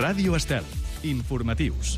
Ràdio Estel. Informatius.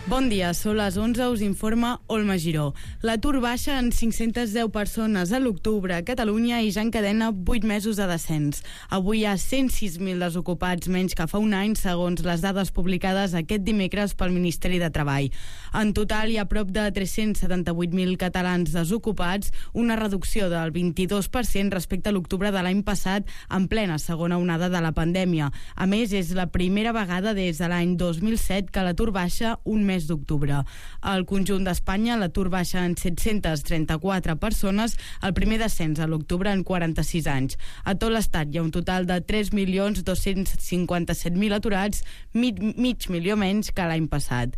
Bon dia, són les 11, us informa Olma Giró. L'atur baixa en 510 persones a l'octubre a Catalunya i ja encadena 8 mesos de descens. Avui hi ha 106.000 desocupats menys que fa un any, segons les dades publicades aquest dimecres pel Ministeri de Treball. En total hi ha prop de 378.000 catalans desocupats, una reducció del 22% respecte a l'octubre de l'any passat, en plena segona onada de la pandèmia. A més, és la primera vegada des de l'any 2007 que l'atur baixa un mes d'octubre. Al conjunt d'Espanya, l'atur baixa en 734 persones, el primer descens a l'octubre en 46 anys. A tot l'estat hi ha un total de 3.257.000 aturats, mig milió menys que l'any passat.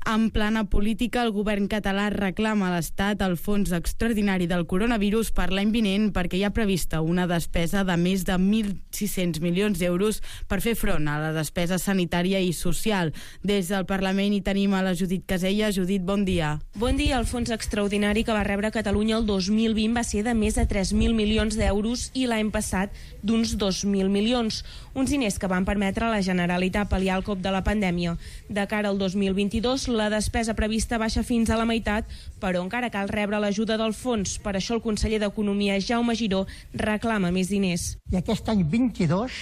En plana política, el govern català reclama a l'Estat el fons extraordinari del coronavirus per l'any vinent perquè hi ha prevista una despesa de més de 1.600 milions d'euros per fer front a la despesa sanitària i social. Des del Parlament hi tenim a la Judit Casella. Judit, bon dia. Bon dia. El fons extraordinari que va rebre Catalunya el 2020 va ser de més de 3.000 milions d'euros i l'any passat d'uns 2.000 milions. Uns diners que van permetre a la Generalitat pal·liar el cop de la pandèmia. De cara al 2022, la despesa prevista baixa fins a la meitat, però encara cal rebre l'ajuda del fons. Per això el conseller d'Economia, Jaume Giró, reclama més diners. I aquest any 22,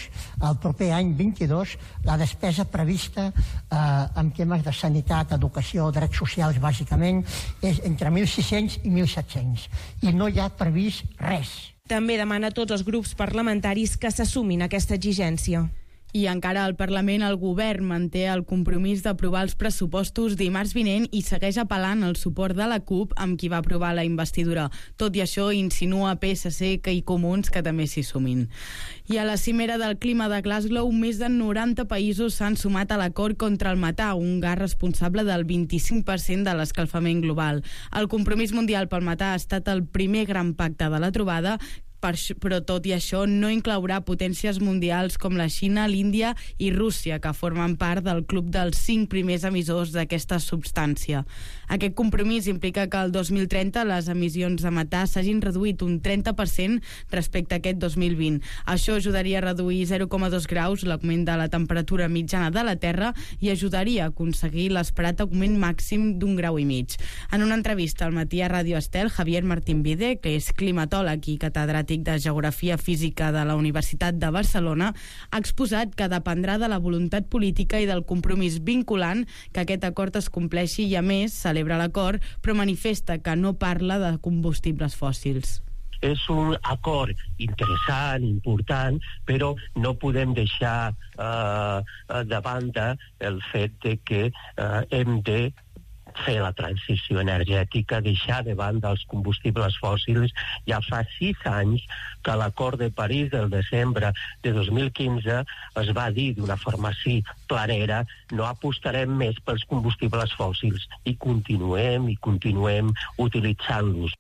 el proper any 22, la despesa prevista en temes de sanitat, educació, drets socials, bàsicament, és entre 1.600 i 1.700. I no hi ha previst res. També demana a tots els grups parlamentaris que s'assumin a aquesta exigència. I encara al Parlament el govern manté el compromís d'aprovar els pressupostos dimarts vinent i segueix apel·lant el suport de la CUP amb qui va aprovar la investidura. Tot i això, insinua PSC i Comuns que també s'hi sumin. I a la cimera del clima de Glasgow, més de 90 països s'han sumat a l'acord contra el metà, un gas responsable del 25% de l'escalfament global. El compromís mundial pel metà ha estat el primer gran pacte de la trobada, però tot i això no inclourà potències mundials com la Xina, l'Índia i Rússia, que formen part del club dels 5 primers emissors d'aquesta substància. Aquest compromís implica que el 2030 les emissions de metà s'hagin reduït un 30% respecte a aquest 2020. Això ajudaria a reduir 0,2 graus l'augment de la temperatura mitjana de la Terra i ajudaria a aconseguir l'esperat augment màxim d'1,5 graus. En una entrevista al matí a Ràdio Estel, Javier Martín Vide, que és climatòleg i catedràtic de Geografia Física de la Universitat de Barcelona, ha exposat que dependrà de la voluntat política i del compromís vinculant que aquest acord es compleixi i, a més, celebra l'acord, però manifesta que no parla de combustibles fòssils. És un acord interessant, important, però no podem deixar de banda el fet de que hem de fer la transició energètica, deixar de banda els combustibles fòssils. Ja fa 6 anys que a l'Acord de París del desembre de 2015 es va dir d'una forma així planera: no apostarem més pels combustibles fòssils, i continuem utilitzant-los.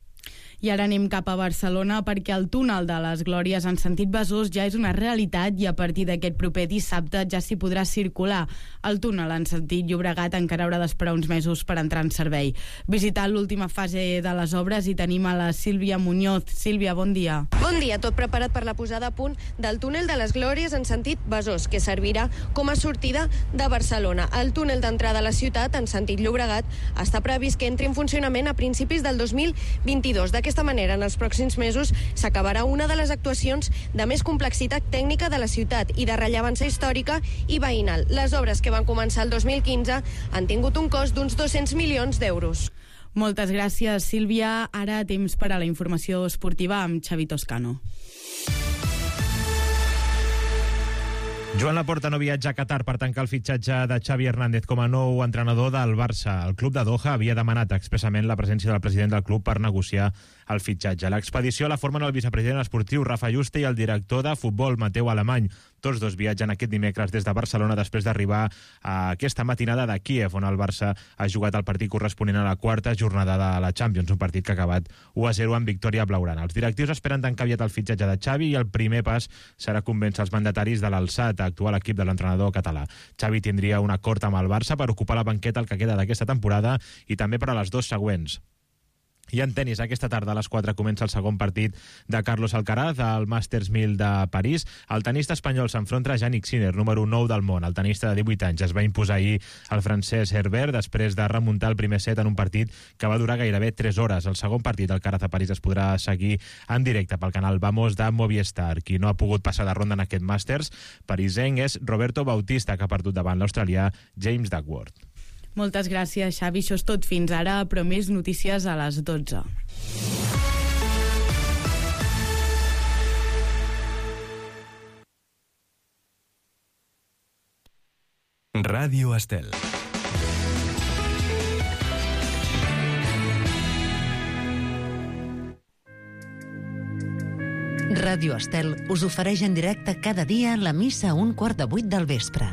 I ara anem cap a Barcelona perquè el túnel de les Glòries en sentit Besòs ja és una realitat i a partir d'aquest proper dissabte ja s'hi podrà circular. El túnel en sentit Llobregat encara haurà d'esperar uns mesos per entrar en servei. Visitant l'última fase de les obres hi tenim a la Sílvia Muñoz. Sílvia, bon dia. Bon dia, tot preparat per la posada a punt del túnel de les Glòries en sentit Besòs, que servirà com a sortida de Barcelona. El túnel d'entrada a la ciutat en sentit Llobregat està previst que entri en funcionament a principis del 2022. D'aquesta manera, en els pròxims mesos s'acabarà una de les actuacions de més complexitat tècnica de la ciutat i de rellevància històrica i veïnal. Les obres que van començar el 2015 han tingut un cost d'uns 200 milions d'euros. Moltes gràcies, Sílvia. Ara temps per a la informació esportiva amb Xavi Toscano. Joan Laporta no viatja a Qatar per tancar el fitxatge de Xavi Hernández com a nou entrenador del Barça. El club de Doha havia demanat expressament la presència del president del club per negociar el fitxatge. L'expedició la formen el vicepresident esportiu Rafa Juste i el director de futbol Mateu Alemany. Tots dos viatgen aquest dimecres des de Barcelona després d'arribar a aquesta matinada de Kíev, on el Barça ha jugat el partit corresponent a la quarta jornada de la Champions, un partit que ha acabat 1-0 amb victòria blaugrana. Els directius esperen tancar aviat el fitxatge de Xavi i el primer pas serà convèncer els mandataris de l'alçat a actuar l'equip de l'entrenador català. Xavi tindria un acord amb el Barça per ocupar la banqueta el que queda d'aquesta temporada i també per a les 2 següents. I en tenis, aquesta tarda a les 4 comença el segon partit de Carlos Alcaraz al Masters 1000 de París. El tenista espanyol s'enfronta a Jannik Sinner, número 9 del món. El tenista de 18 anys es va imposar ahir al francès Herbert després de remuntar el primer set en un partit que va durar gairebé 3 hores. El segon partit d'Alcaraz a París es podrà seguir en directe pel canal Vamos de Movistar. Qui no ha pogut passar de ronda en aquest Masters parisenc és Roberto Bautista, que ha perdut davant l'australià James Duckworth. Moltes gràcies, Xavi. Això és tot fins ara, però més notícies a les 12. Ràdio Estel. Ràdio Estel us ofereix en directe cada dia la missa a 7:15 del vespre.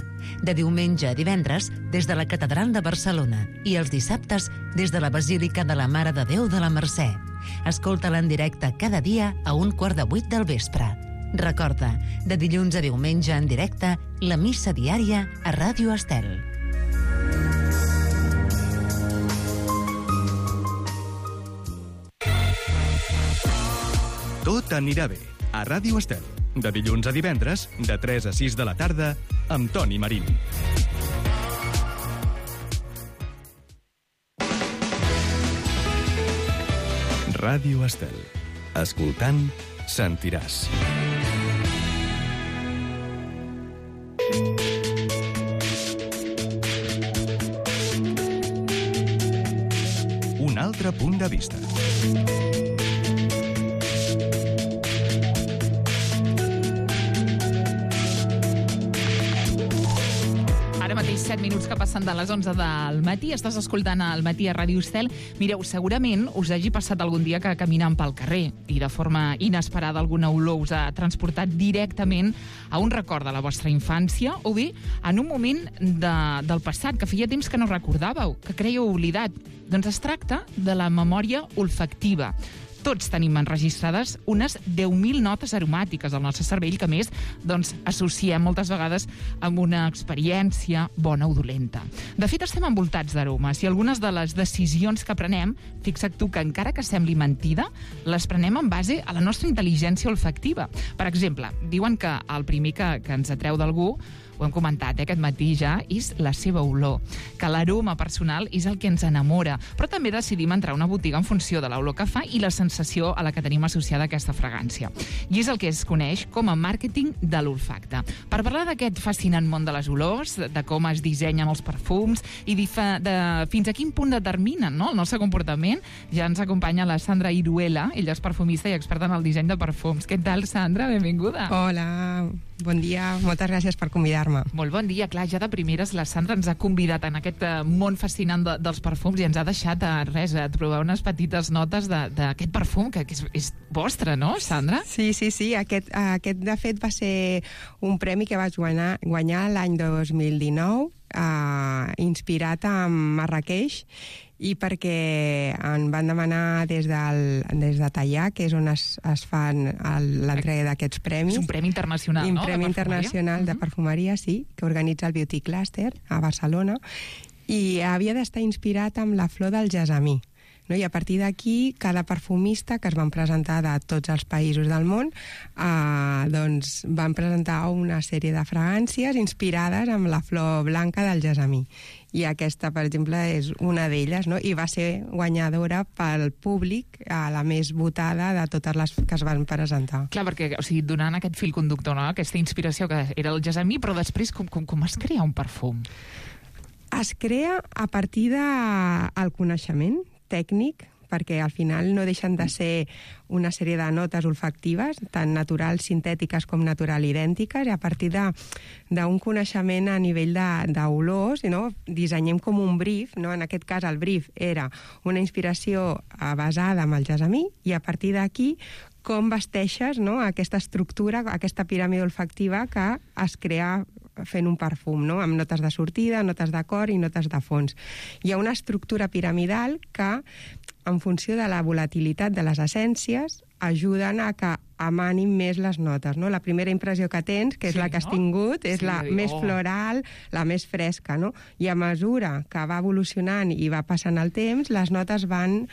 De diumenge a divendres, des de la Catedral de Barcelona, i els dissabtes, des de la Basílica de la Mare de Déu de la Mercè. Escolta-la en directe cada dia a 7:15 del vespre. Recorda, de dilluns a diumenge en directe, la missa diària a Ràdio Estel. Tot anirà bé. A Ràdio Estel. De dilluns a divendres, de 3 a 6 de la tarda, amb Toni Marín. Ràdio Estel. Escoltant, sentiràs. Un altre punt de vista. Ara mateix 7 minuts que passen de les 11 del matí. Estàs escoltant el Matí a Ràdio Estel. Mireu, segurament us hagi passat algun dia que caminant pel carrer i de forma inesperada alguna olor us ha transportat directament a un record de la vostra infància o bé en un moment del passat que feia temps que no recordàveu, que creieu oblidat. Doncs es tracta de la memòria olfactiva. Tots tenim enregistrades unes 10.000 notes aromàtiques al nostre cervell que, a més, associem moltes vegades amb una experiència bona o dolenta. De fet, estem envoltats d'aromes i algunes de les decisions que prenem, fixa't tu que encara que sembli mentida, les prenem en base a la nostra intel·ligència olfactiva. Per exemple, diuen que el primer que ens atreu d'algú, ho hem comentat aquest matí ja, és la seva olor, que l'aroma personal és el que ens enamora, però també decidim entrar a una botiga en funció de l'olor que fa i la sensació a la que tenim associada aquesta fragància. I és el que es coneix com a màrqueting de l'olfacte. Per parlar d'aquest fascinant món de les olors, de com es dissenyen els perfums i de fins a quin punt determinen el nostre comportament, ja ens acompanya la Sandra Iruela, ella és perfumista i experta en el disseny de perfums. Què tal, Sandra? Benvinguda. Hola, bon dia, moltes gràcies per convidar-me. Molt bon dia. Clar, ja de primeres la Sandra ens ha convidat en aquest món fascinant dels perfums i ens ha deixat a trobar unes petites notes d'aquest perfum que és vostre, no, Sandra? Sí. Aquest de fet va ser un premi que vaig guanyar l'any 2019, inspirat en Marrakeix, i perquè em van demanar des de Tallà, que és on es fan l'entrega d'aquests premis. És un premi internacional, no? Un premi internacional de perfumeria, sí, que organitza el Beauty Cluster a Barcelona, i havia d'estar inspirat amb la flor del gessamí. No? I a partir d'aquí, cada perfumista que es van presentar de tots els països del món van presentar una sèrie de fragàncies inspirades amb la flor blanca del gessamí. I aquesta, per exemple, és una d'elles, no? I va ser guanyadora pel públic, la més votada de totes les que es van presentar. Clar, perquè, donant aquest fil conductor, no? Aquesta inspiració que era el gessamí, però després com es crea un perfum? Es crea a partir del coneixement tècnic, perquè al final no deixen de ser una sèrie de notes olfactives, tant naturals, sintètiques com natural idèntiques, i a partir d'un coneixement a nivell d'olors, no? Dissenyem com un brief, no? En aquest cas el brief era una inspiració basada en el gessamí, i a partir d'aquí com vesteixes, no? Aquesta estructura, aquesta piràmide olfactiva que es crea fent un perfum, no? Amb notes de sortida, notes de cor i notes de fons. Hi ha una estructura piramidal que en funció de la volatilitat de les essències, ajuden a que emanin més les notes, no? La primera impressió que tens, que és la que has tingut, és la més floral, la més fresca, no? I a mesura que va evolucionant i va passant el temps, les notes van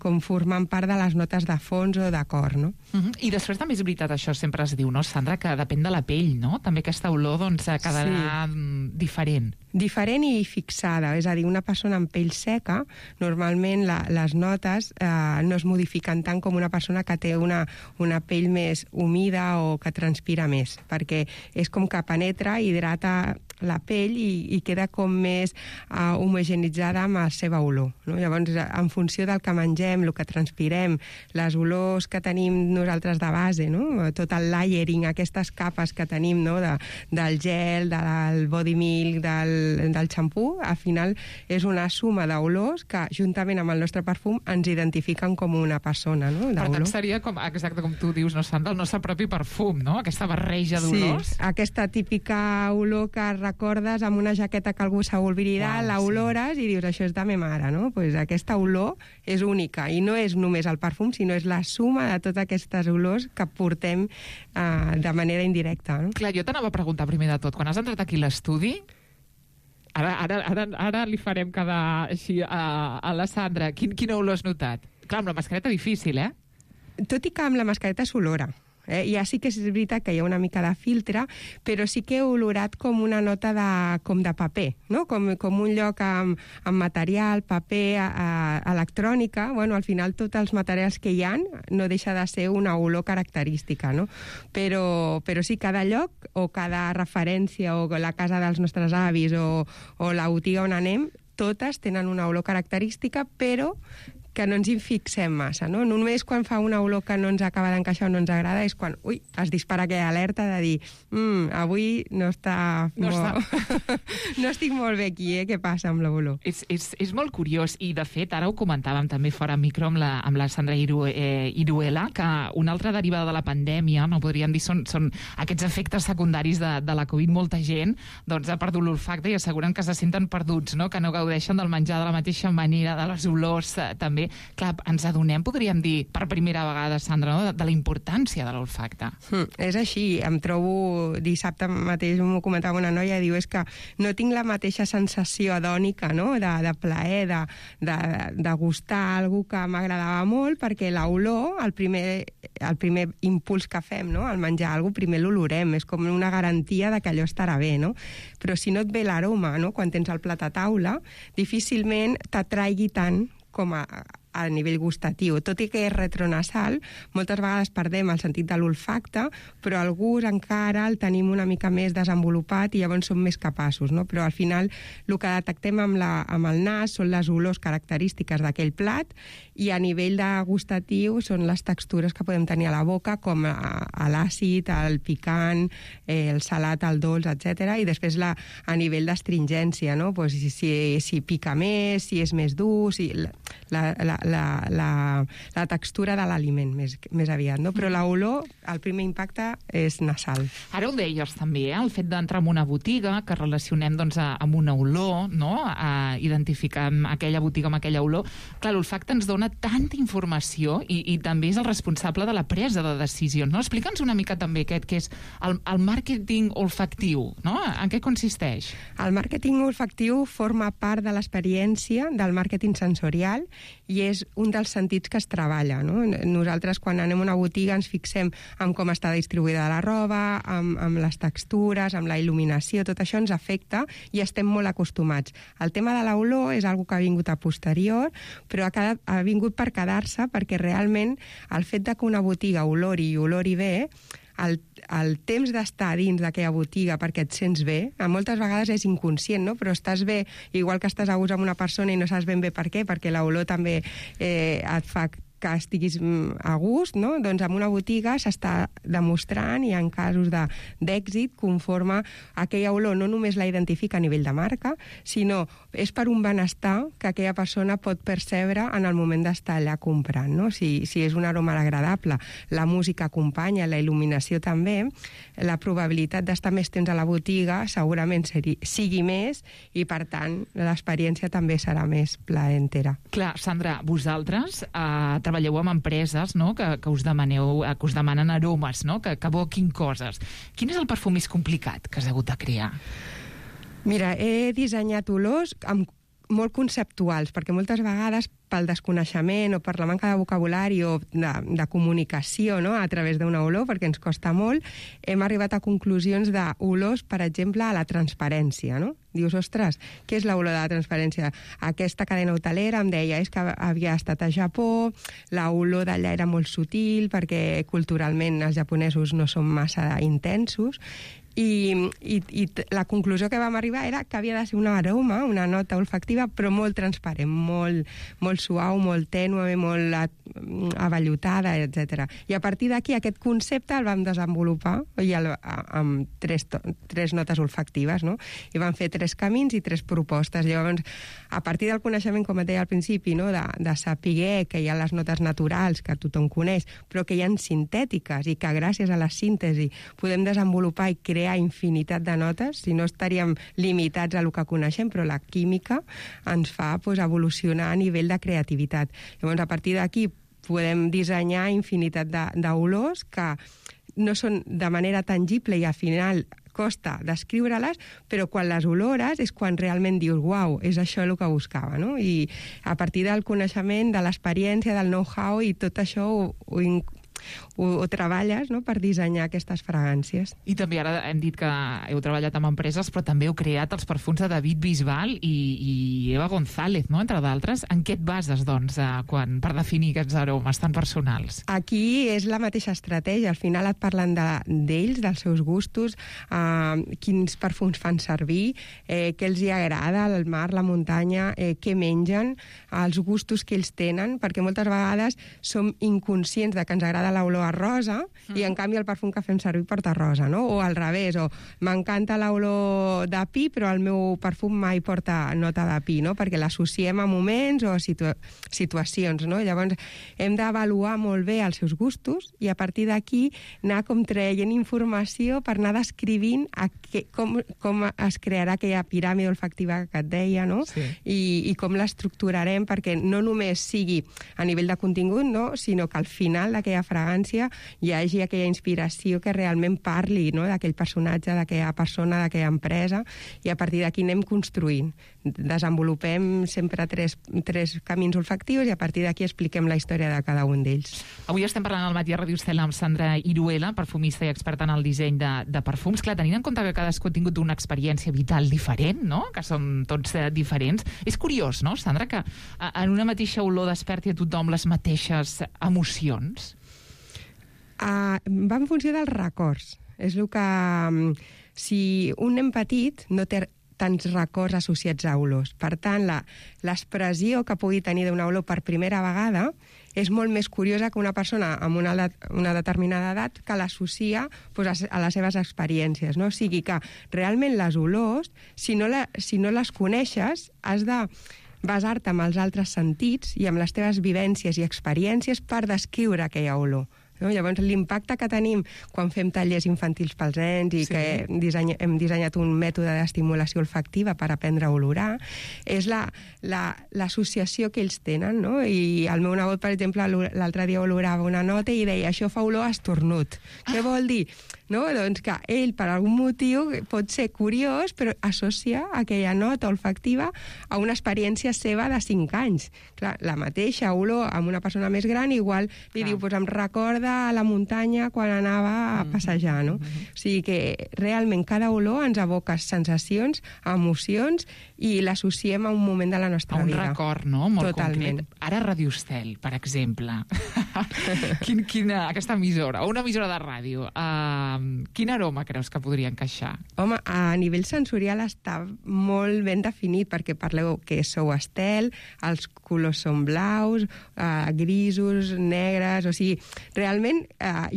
com formant part de les notes de fons o de cor, no? I després també és veritat, això sempre es diu, no, Sandra, que depèn de la pell, no? També aquesta olor, doncs, quedarà diferent. Diferent i fixada, és a dir, una persona amb pell seca, normalment les notes no es modifiquen tant com una persona que té una pell més humida o que transpira més, perquè és com que penetra, hidrata la pell i queda com més homogeneïtzada amb la seva olor, no? Llavors, en funció del que mengem, el que transpirem, les olors que tenim nosaltres de base, no? Tot el layering, aquestes capes que tenim, no? Del gel, del body milk, del xampú, al final és una suma d'olors que, juntament amb el nostre perfum, ens identifiquen com una persona, no? Per tant, seria exacte com tu dius, no, Sandra, el nostre propi perfum, no? Aquesta barreja d'olors. Sí, aquesta típica olor que recordes amb una jaqueta que algú s'ha oblidat, l'olores i dius, això és de ma mare, no? Pues aquesta olor és única i no és només el perfum, sinó és la suma de totes aquestes olors que portem de manera indirecta, no? Clar, jo t'anava a preguntar primer de tot, quan has entrat aquí a l'estudi, ara li farem quedar així a la Sandra, quina olor has notat? Clar, amb la mascareta difícil, Tot i que amb la mascareta s'olora. Ja sí que és veritat que hi ha una mica de filtre, però sí que he olorat com una nota com de paper, no? Com un lloc amb material, paper, electrònica. Bueno, al final tots els materials que hi ha no deixa de ser una olor característica, no? Però sí, cada lloc o cada referència o la casa dels nostres avis o la botiga on anem, totes tenen una olor característica, però que no ens hi fixem massa, no? Només quan fa una olor que no ens acaba d'encaixar o no ens agrada és quan, es dispara aquella alerta de dir avui no estic molt bé aquí, què passa amb l'olor? És molt curiós, i de fet ara ho comentàvem també fora micro amb la Sandra Iruela, que una altra derivada de la pandèmia, no podríem dir, són aquests efectes secundaris de la Covid. Molta gent doncs ha perdut l'olfacte i asseguren que se senten perduts, no? Que no gaudeixen del menjar de la mateixa manera, de les olors també. Clar, ens adonem, podríem dir, per primera vegada, Sandra, no? de la importància de l'olfacte. És així. Em trobo... Dissabte mateix m'ho comentava una noia i diu és que no tinc la mateixa sensació hedònica, no? de plaer, de gustar algú que m'agradava molt, perquè l'olor, el primer impuls que fem, no? Al menjar alguna cosa, primer l'olorem. És com una garantia de que allò estarà bé, no? Però si no et ve l'aroma, no? Quan tens el plat a taula, difícilment t'atraigui tant com a nivell gustatiu. Tot i que és retronasal, moltes vegades perdem el sentit de l'olfacte, però el gust encara el tenim una mica més desenvolupat i llavors som més capaços, no? Però al final el que detectem amb el nas són les olors característiques d'aquell plat i a nivell de gustatiu són les textures que podem tenir a la boca, com l'àcid, el picant, el salat, el dolç, etc. I després a nivell d'astringència, no? Pues si pica més, si és més dur, si la textura de l'aliment més aviat, no? Però l'olor, el primer impacte és nasal. Ara ho deies també, el fet d'entrar en una botiga, que relacionem doncs, amb una olor, no? Identificar aquella botiga amb aquella olor. Clar, l'olfacte ens dona tanta informació i també és el responsable de la presa de decisions, no? Explica'ns una mica també aquest, que és el màrqueting olfactiu, no? En què consisteix? El màrqueting olfactiu forma part de l'experiència del màrqueting sensorial i és un dels sentits que es treballa, no? Nosaltres, quan anem a una botiga, ens fixem en com està distribuïda la roba, amb les textures, amb la il·luminació, tot això ens afecta i estem molt acostumats. El tema de l'olor és una que ha vingut a posterior, però ha vingut per quedar-se, perquè realment el fet que una botiga olori bé, el temps d'estar dins d'aquella botiga perquè et sents bé, moltes vegades és inconscient, no? Però estàs bé, igual que estàs a gust amb una persona i no saps ben bé per què, perquè l'olor també et fa que estiguis a gust, no? Doncs en una botiga s'està demostrant, i en casos d'èxit, conforme aquella olor no només la identifica a nivell de marca, sinó és per un benestar que aquella persona pot percebre en el moment d'estar allà comprant, no? Si és un aroma agradable, la música acompanya, la il·luminació també, la probabilitat d'estar més temps a la botiga segurament sigui més, i per tant l'experiència també serà més plaentera. Clar, Sandra, vosaltres treballeu amb empreses, no?, que us demanen aromes, no?, que evoquin coses. Quin és el perfum més complicat que has hagut de crear? Mira, he dissenyat olors molt conceptuals, perquè moltes vegades pel desconeixement o per la manca de vocabulari o de comunicació, no?, a través d'una olor, perquè ens costa molt, hem arribat a conclusions d'olors, per exemple, a la transparència, no? Dius, ostres, què és l'olor de la transparència? Aquesta cadena hotelera em deia és que havia estat a Japó, l'olor d'allà era molt sutil, perquè culturalment els japonesos no són massa intensos, i la conclusió que vam arribar era que havia de ser un aroma, una nota olfactiva, però molt transparent, molt suau, molt tènue, molt avellotada, etc. I a partir d'aquí aquest concepte el vam desenvolupar amb tres notes olfactives, no? I vam fer 3 camins i 3 propostes. Llavors, a partir del coneixement, com et deia al principi, no?, de saber que hi ha les notes naturals, que tothom coneix, però que hi ha sintètiques, i que gràcies a la síntesi podem desenvolupar i crear infinitat de notes, si no estaríem limitats a el que coneixem, però la química ens fa evolucionar a nivell de creativitat. Llavors, a partir d'aquí podem dissenyar infinitat d'olors que no són de manera tangible i al final costa descriure-les, però quan les olores és quan realment dius, uau, és això el que buscava, no? I a partir del coneixement, de l'experiència, del know-how i tot això ho treballes, no?, per dissenyar aquestes fragàncies. I també ara hem dit que heu treballat amb empreses, però també heu creat els perfums de David Bisbal i Eva González, no?, entre d'altres. En què et bases, doncs, per definir aquests aromes tan personals? Aquí és la mateixa estratègia. Al final et parlen d'ells, dels seus gustos, quins perfums fan servir, què els hi agrada, el mar, la muntanya, què mengen, els gustos que ells tenen, perquè moltes vegades som inconscients de que ens agrada l'olor a rosa i en canvi el perfum que fem servir porta rosa, no? O al revés, o m'encanta l'olor de pi però el meu perfum mai porta nota de pi, no? Perquè l'associem a moments o a situacions, no? Llavors hem d'avaluar molt bé els seus gustos i a partir d'aquí anar com traient informació per anar descrivint com es crearà aquella piràmide olfactiva que et deia, no? Sí. I com l'estructurarem perquè no només sigui a nivell de contingut, no? Sinó que al final d'aquella fragància hi hagi aquella inspiració que realment parli, no?, d'aquell personatge, d'aquella persona, d'aquella empresa, i a partir d'aquí anem construint. Desenvolupem sempre tres camins olfactius i a partir d'aquí expliquem la història de cada un d'ells. Avui estem parlant al matí a Ràdio Estel amb Sandra Iruela, perfumista i experta en el disseny de perfums. Clar, tenint en compte que cadascú ha tingut una experiència vital diferent, no?, que són tots diferents. És curiós, no, Sandra, que en una mateixa olor desperti a tothom les mateixes emocions? Va en funció dels records. És el que... Si un nen petit no té tants records associats a olors. Per tant, l'expressió que pugui tenir d'una olor per primera vegada és molt més curiosa que una persona amb una determinada edat que l'associa a les seves experiències, no? O sigui que realment les olors, si no les coneixes, has de basar-te en els altres sentits i amb les teves vivències i experiències per descriure aquella olor. No? Llavors, l'impacte que tenim quan fem tallers infantils pels nens i que hem dissenyat un mètode d'estimulació olfactiva per aprendre a olorar, és l'associació que ells tenen, no? I el meu nebot, per exemple, l'altre dia olorava una nota i deia, això fa olor a estornut. Què vol dir? No? Doncs que ell, per algun motiu, pot ser curiós, però associa aquella nota olfactiva a una experiència seva de 5 anys. Clar, la mateixa olor amb una persona més gran, igual li diu, em recorda a la muntanya quan anava a passejar, no? O sigui que realment cada olor ens evoca sensacions, emocions i l'associem a un moment de la nostra vida. Un record, no?, molt Totalment. concret. Ara Radio Estel, per exemple. Aquesta emissora, una emissora de ràdio, quin aroma creus que podria encaixar? Home, a nivell sensorial està molt ben definit, perquè parleu que sou Estel, els colors són blaus, grisos, negres, o sigui, realment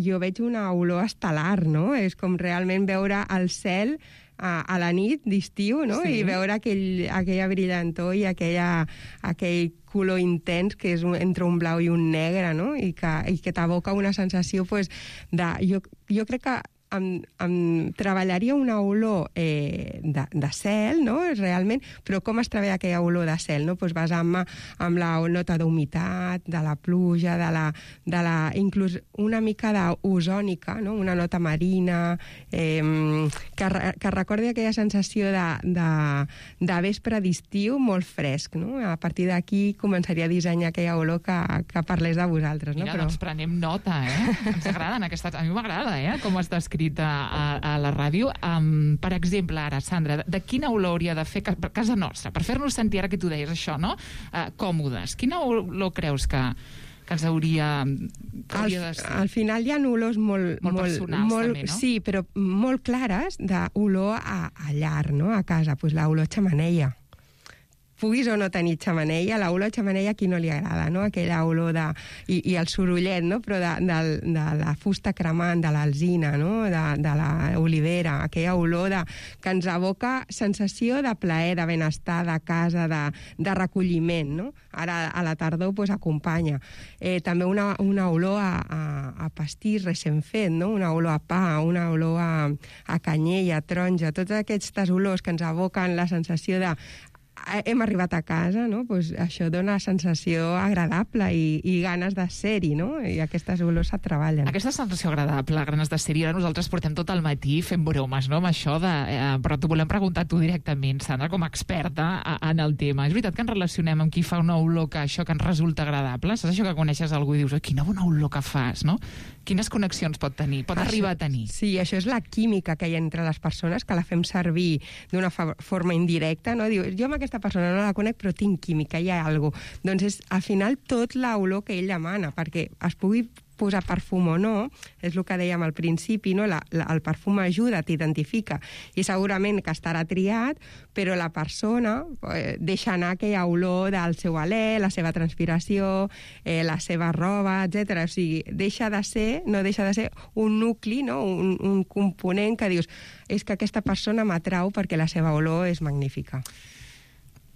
jo veig una olor estel·lar, no? És com realment veure el cel a la nit d'estiu, no? Sí. I veure aquella brillantor i aquell color intens que és entre un blau i un negre, no? I que t'evoca una sensació, pues, jo crec que em treballaria una olor de cel, no?, realment, però com es treballa aquella olor de cel, no? Pues basant-me amb la nota d'humitat, de la pluja, de la inclús una mica d'ozònica, no?, una nota marina, que recordi aquella sensació de vespre d'estiu molt fresc, no? A partir d'aquí començaria a dissenyar aquella olor que parlés de vosaltres, no? Mira, doncs prenem nota, Ens agraden aquestes... A mi m'agrada, com està escrit a la ràdio. Per exemple, ara, Sandra, de quina olor hauria de fer casa nostra? Per fer-nos sentir, ara que tu deies això, no?, còmodes. Quina olor creus que ens hauria de ser? Al final hi ha olors molt personals, també, no? Sí, però molt clares d'olor a llar, no?, a casa. Pues l'olor xemeneia. Puguis o no tenir xemeneia, l'olor xemeneia a qui no li agrada, no? Aquella olor i el sorollet, no?, però de la fusta cremant, de l'alzina, no?, de l'olivera, aquella olor que ens evoca sensació de plaer, de benestar, de casa, de recolliment, no? Ara a la tardor pues, acompanya. També una olor a pastís recent fet, no?, una olor a pa, una olor a canyella, a taronja, totes aquestes olors que ens evoquen la sensació de hem arribat a casa, no? Pues això dona sensació agradable i ganes de ser-hi, no? I aquestes olors se treballen. Aquesta sensació agradable, ganes de ser-hi, ara nosaltres portem tot el matí fent bromes, no?, amb això però t'ho volem preguntar tu directament, Sandra, com a experta en el tema. És veritat que ens relacionem amb qui fa una olor que això que ens resulta agradable? Saps això que coneixes algú i dius, quina bona olor que fas, no? Quines connexions pot tenir? Pot arribar a tenir? Sí, això és la química que hi ha entre les persones, que la fem servir d'una forma indirecta, no? Diu, jo amb aquesta persona no la conec, però tinc química, hi ha alguna cosa. Doncs és, al final, tot l'olor que ell demana, perquè es pugui posar perfum o no, és el que dèiem al principi, no? El perfum ajuda, t'identifica, i segurament que estarà triat, però la persona deixa anar aquella olor del seu alè, la seva transpiració, la seva roba, etc. O sigui, no deixa de ser un nucli, no? Un component que dius, és que aquesta persona m'atrau perquè la seva olor és magnífica.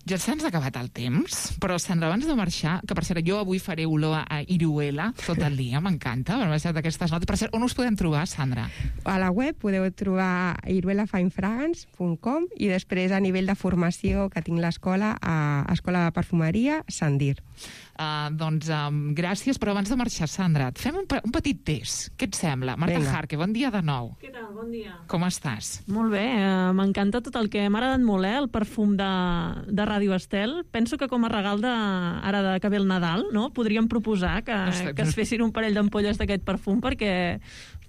Ja se'ns ha acabat el temps, però, Sandra, abans de marxar, que per cert, jo avui faré olor a Iruela tot el dia, m'encanta, m'han deixat aquestes notes. Per cert, on us podem trobar, Sandra? A la web podeu trobar iruelafinefragrance.com i després a nivell de formació que tinc l'escola, a Escola de Perfumeria Sandir. Doncs gràcies, però abans de marxar, Sandra, et fem un petit test. Què et sembla? Marta Jarque, bon dia de nou. Què tal? Bon dia. Com estàs? Molt bé, m'encanta tot el que m'ha agradat molt, el perfum de Radio Estel. Penso que com a regal ara que ve el Nadal, no? Podríem proposar que es fessin un parell d'ampolles d'aquest perfum, perquè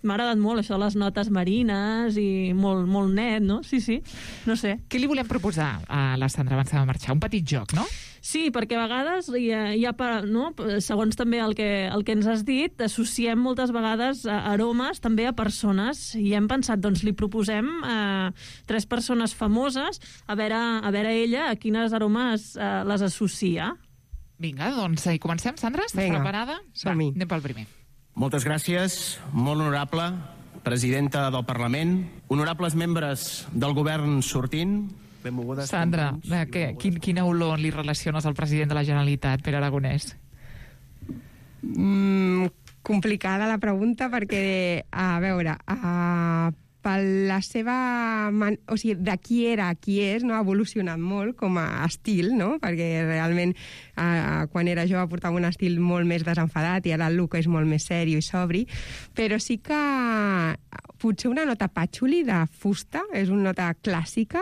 m'ha agradat molt això de les notes marines i molt, molt net, no? Sí, no sé. Què li volem proposar a la Sandra abans de marxar? Un petit joc, no? Sí, perquè a vegades, no? Segons també el que ens has dit, associem moltes vegades aromes també a persones, i hem pensat, doncs li proposem a 3 persones famoses a veure ella a quines aromes les associa. Vinga, doncs hi comencem, Sandra? Estàs preparada? Som-hi. Anem pel primer. Moltes gràcies, molt honorable presidenta del Parlament, honorables membres del govern sortint. Sandra, quina olor li relaciones al president de la Generalitat, Pere Aragonès? Complicada la pregunta perquè, a veure, per la seva... O sigui, de qui era a qui és, no? Ha evolucionat molt com a estil, no? Perquè realment quan era jove portava un estil molt més desenfadat i ara el look és molt més sèrio i sobri, però sí que potser una nota patxuli de fusta, és una nota clàssica,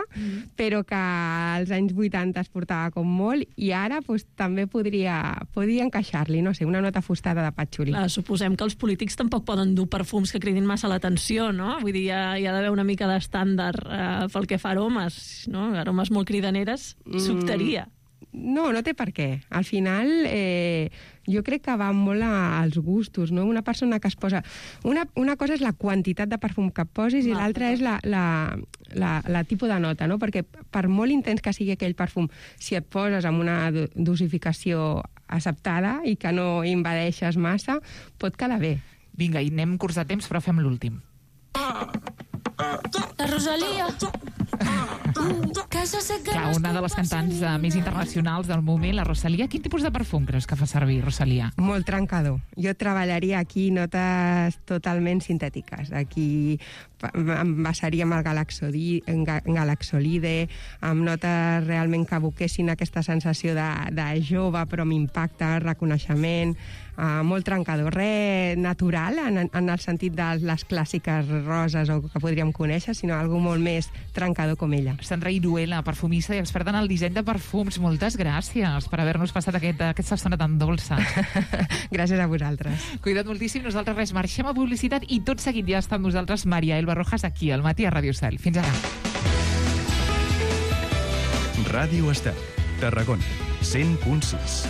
però que als anys 80 es portava com molt i ara també podria encaixar-li, no sé, una nota fustada de patxuli. Suposem que els polítics tampoc poden dur perfums que cridin massa l'atenció, no? Vull dir, hi ha d'haver una mica d'estàndard pel que fa a aromes, no? Aromes molt cridaneres, s'optaria. No té per què. Al final, jo crec que va molt als gustos, no? Una persona que es posa... Una cosa és la quantitat de perfum que et posis i l'altra és la tipus de nota, no? Perquè per molt intens que sigui aquell perfum, si et poses amb una dosificació acceptada i que no invadeixes massa, pot quedar bé. Vinga, i anem curts de temps, però fem l'últim. La Rosalia. Clar, una de les cantants més internacionals del moment, la Rosalia. Quin tipus de perfum creus que fa servir, Rosalia? Molt trencador. Jo treballaria aquí notes totalment sintètiques. Aquí em basaria amb el galaxolide, amb notes realment que evoquessin aquesta sensació de jove, però amb impacte, reconeixement, molt trencador. Res natural, en el sentit de les clàssiques roses o que podríem conèixer, sinó algo molt més trencador com ella. Sandra Iruela, perfumista i experta en el disseny de perfums. Moltes gràcies per haver-nos passat aquesta estona tan dolça. Gràcies a vosaltres. Cuida't moltíssim. Nosaltres res, marxem a publicitat i tot seguit ja està amb nosaltres Maria Elba Rojas aquí al Matí a Ràdio Estel. Fins ara. Ràdio Estel, Tarragona, 100.6.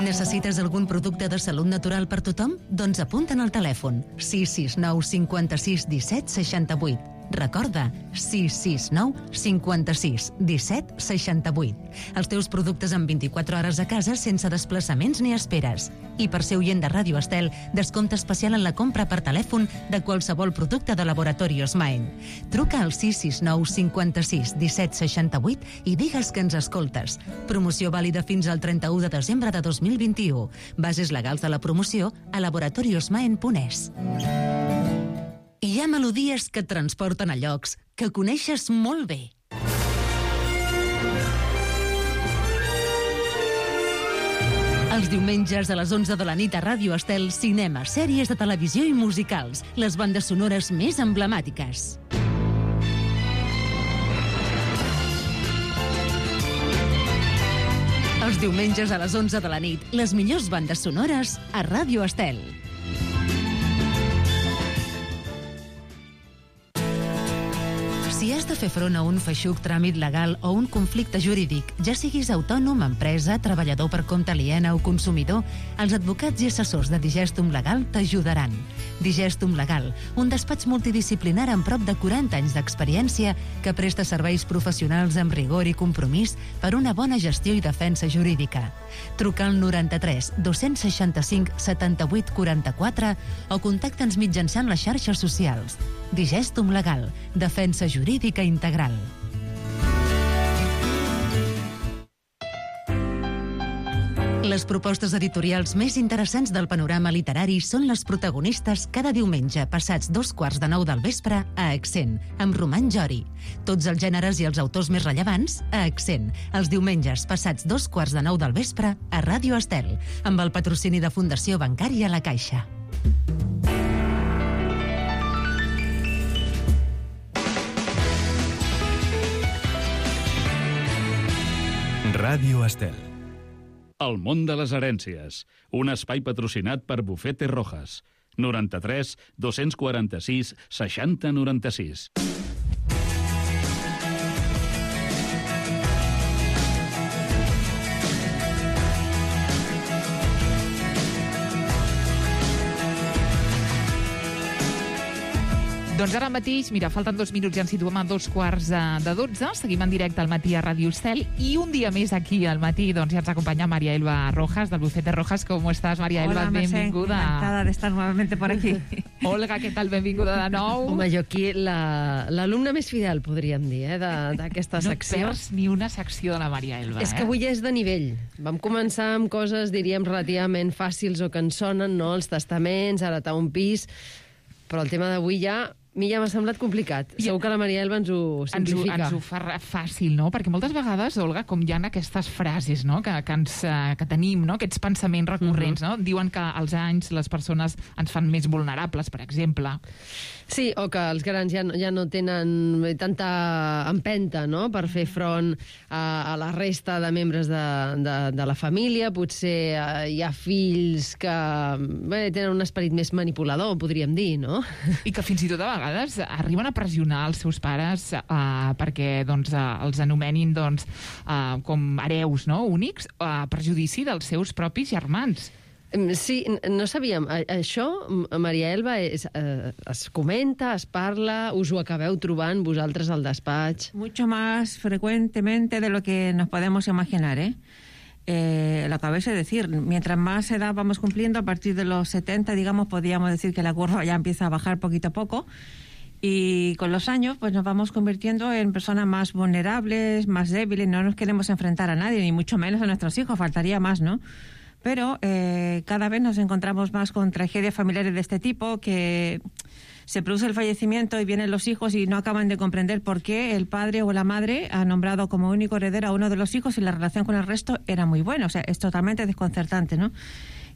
Necessites algun producte de salut natural per tothom? Doncs apunta'n al telèfon 669 56 17 68. Recorda, 669 56 17 68. Els teus productes en 24 hores a casa sense desplaçaments ni esperes. I per ser oient de Ràdio Estel, descompte especial en la compra per telèfon de qualsevol producte de Laboratorios Maen. Truca al 669 56 17 68 i digues que ens escoltes. Promoció vàlida fins al 31 de desembre de 2021. Bases legals de la promoció a laboratoriosmaen.es. Hi ha melodies que et transporten a llocs que coneixes molt bé. Els diumenges a les 11 de la nit a Ràdio Estel, cinema, sèries de televisió i musicals, les bandes sonores més emblemàtiques. Els diumenges a les 11 de la nit, les millors bandes sonores a Ràdio Estel. Si has de fer front a un feixuc tràmit legal o un conflicte jurídic, ja siguis autònom, empresa, treballador per compte aliena o consumidor, els advocats i assessors de Digestum Legal t'ajudaran. Digestum Legal, un despatx multidisciplinar amb prop de 40 anys d'experiència que presta serveis professionals amb rigor i compromís per una bona gestió i defensa jurídica. Truca al 93 265 78 44 o contacta'ns mitjançant les xarxes socials. Digestum Legal, defensa jurídica integral. Les propostes editorials més interessants del panorama literari són les protagonistes cada diumenge passats 8:45 del vespre a Accent, amb Roman Jori. Tots els gèneres i els autors més rellevants a Accent, els diumenges passats 8:45 del vespre a Ràdio Estel, amb el patrocini de Fundació Bancària La Caixa. Ràdio Estel. El món de les herències. Un espai patrocinat per Bufete Rojas. 93 246 60 96. Doncs ara mateix, mira, falten 2 minuts i ens situem a 2:15. Seguim en directe al Matí a Ràdio Estel i un dia més aquí al Matí doncs ja ens acompaña María Elba Rojas, del Bufete Rojas. ¿Cómo estás, María Elba? Hola, benvinguda. Encantada de estar nuevamente por aquí. Olga, què tal? Benvinguda de nou. Home, jo aquí l'alumne més fidel, podríem dir, d'aquesta secció. No perds ni una secció de la María Elba. És que avui és de nivell. Vam començar amb coses, diríem, relativament fàcils o que ens sonen, no? Els testaments, heretar un pis, però el tema d'avui ja mi ja m'ha semblat complicat. Segur que la Maria Elba ens ho simplifica. Ens ho fa fàcil, no? Perquè moltes vegades, Olga, com hi ha aquestes frases, no? que tenim, no? Aquests pensaments recurrents, no? Diuen que als anys les persones ens fan més vulnerables, per exemple. Sí, o que els grans ja no tenen tanta empenta, no?, per fer front a la resta de membres de la família. Potser hi ha fills que tenen un esperit més manipulador, podríem dir, no? I que fins i tot a vegades arriben a pressionar els seus pares perquè els anomenin com hereus, no?, únics, a perjudici dels seus propis germans. Sí, no sabíem. Això, Maria Elba, es comenta, es parla, us ho acabeu trobant vosaltres al despatx? Mucho más frecuentemente de lo que nos podemos imaginar, lo acabáis de decir. Mientras más edad vamos cumpliendo, a partir de los 70, digamos, podríamos decir que la curva ya empieza a bajar poquito a poco. Y con los años, pues nos vamos convirtiendo en personas más vulnerables, más débiles. No nos queremos enfrentar a nadie, ni mucho menos a nuestros hijos. Faltaría más, ¿no? Pero cada vez nos encontramos más con tragedias familiares de este tipo, que se produce el fallecimiento y vienen los hijos y no acaban de comprender por qué el padre o la madre ha nombrado como único heredero a uno de los hijos y la relación con el resto era muy buena. O sea, es totalmente desconcertante, ¿no?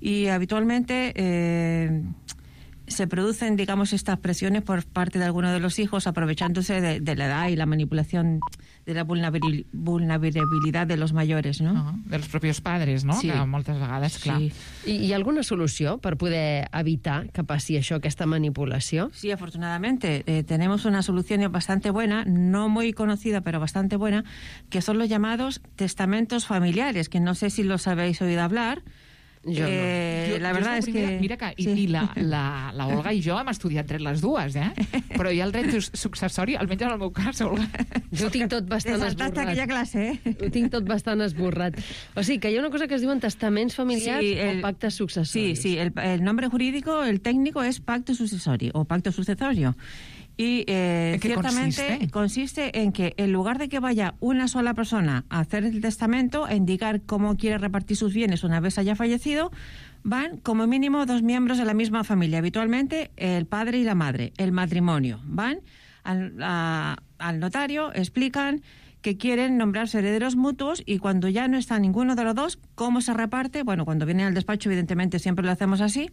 Y habitualmente se producen, digamos, estas presiones por parte de alguno de los hijos, aprovechándose de la edad y la manipulación de la vulnerabilidad de los mayores, ¿no? Dels propis padres, no? Sí. Que moltes vegades, clar. Sí. Hi ha alguna solució per poder evitar que passi això, aquesta manipulació? Sí, afortunadamente. Tenemos una solución bastante buena, no muy conocida, pero bastante buena, que son los llamados testamentos familiares, que no sé si los habéis oído hablar. Jo no. La verdad es que... Mira que i la Olga i jo hem estudiat dret les dues, però hi ha el dret successori, almenys en el meu cas, Olga. Jo ho tinc tot bastant esborrat. aquella clase, Ho tinc tot bastant esborrat. O sigui, que hi ha una cosa que es diuen testaments familiars o pactes successoris. Sí, el nombre jurídico, el técnico, es pacto sucesorio o pacto sucesorio. Y ciertamente consiste en que en lugar de que vaya una sola persona a hacer el testamento, a indicar cómo quiere repartir sus bienes una vez haya fallecido, van como mínimo 2 miembros de la misma familia, habitualmente el padre y la madre, el matrimonio. Van al notario, explican que quieren nombrarse herederos mutuos y cuando ya no está ninguno de los dos, ¿cómo se reparte? Bueno, cuando vienen al despacho, evidentemente siempre lo hacemos así.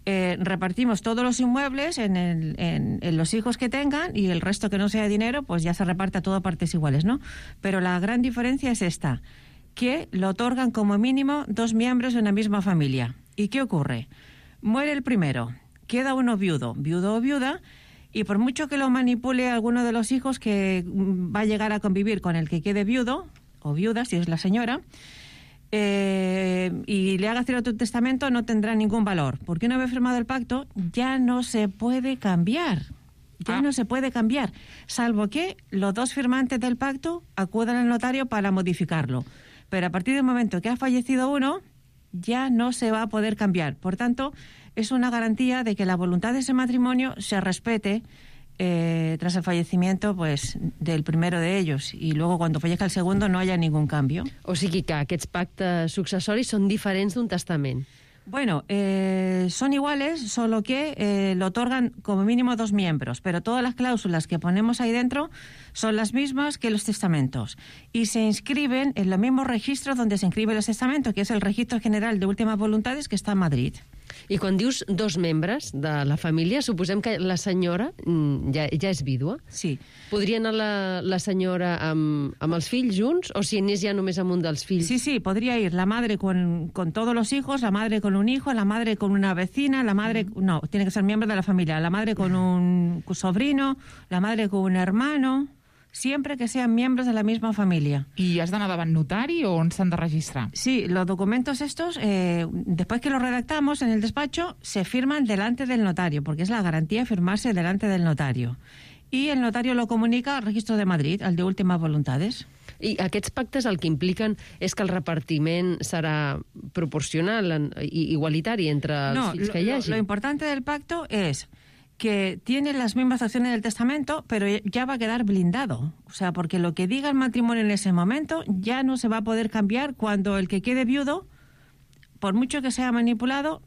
Repartimos todos los inmuebles en los hijos que tengan y el resto que no sea dinero, pues ya se reparte a todo partes iguales, ¿no? Pero la gran diferencia es esta, que lo otorgan como mínimo 2 miembros de una misma familia. ¿Y qué ocurre? Muere el primero, queda uno viudo o viuda, y por mucho que lo manipule alguno de los hijos que va a llegar a convivir con el que quede viudo o viuda, si es la señora, y le haga hacer otro testamento, no tendrá ningún valor, porque una vez firmado el pacto ya no se puede cambiar. No se puede cambiar, salvo que los 2 firmantes del pacto acudan al notario para modificarlo. Pero a partir del momento que ha fallecido uno, ya no se va a poder cambiar. Por tanto, es una garantía de que la voluntad de ese matrimonio se respete tras el fallecimiento, pues, del primero de ellos, y luego cuando fallezca el segundo no haya ningún cambio. O sigui que aquests pactes successoris són diferents d'un testament. Bueno, son iguales, solo que lo otorgan como mínimo 2 miembros, pero todas las cláusulas que ponemos ahí dentro son las mismas que los testamentos y se inscriben en los mismos registros donde se inscriben los testamentos, que es el Registro General de Últimas Voluntades, que está en Madrid. I quan dius 2 membres de la família, suposem que la senyora ja és vídua? Sí. Podria anar la senyora amb els fills junts, o si anés ja només amb un dels fills? Sí, podría ir la madre con todos los hijos, la madre con un hijo, la madre con una vecina, la madre... No, tiene que ser miembro de la familia. La madre con un sobrino, la madre con un hermano... siempre que sean miembros de la misma familia. I has d'anar davant notari o on s'han de registrar? Sí, los documentos estos, después que los redactamos en el despacho, se firman delante del notario, porque es la garantía firmarse delante del notario. Y el notario lo comunica al Registro de Madrid, al de Últimas Voluntades. I aquests pactes el que impliquen és que el repartiment serà proporcional i igualitari entre els fills que hi hagi? Lo importante del pacto es que tiene las mismas acciones del testamento, pero ya va a quedar blindado. O sea, porque lo que diga el matrimonio en ese momento ya no se va a poder cambiar cuando el que quede viudo, por mucho que sea manipulado,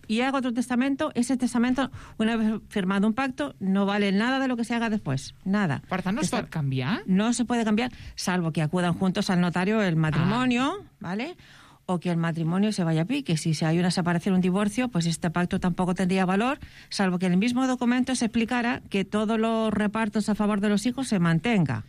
y haga otro testamento, ese testamento, una vez firmado un pacto, no vale nada de lo que se haga después. Nada. Per tant, no es pot canviar? No se puede cambiar, salvo que acudan juntos al notario el matrimonio, ¿vale? O que el matrimonio se vaya a pique. Si hay una separación, un divorcio, pues este pacto tampoco tendría valor, salvo que en el mismo documento se explicara que todos los repartos a favor de los hijos se mantenga.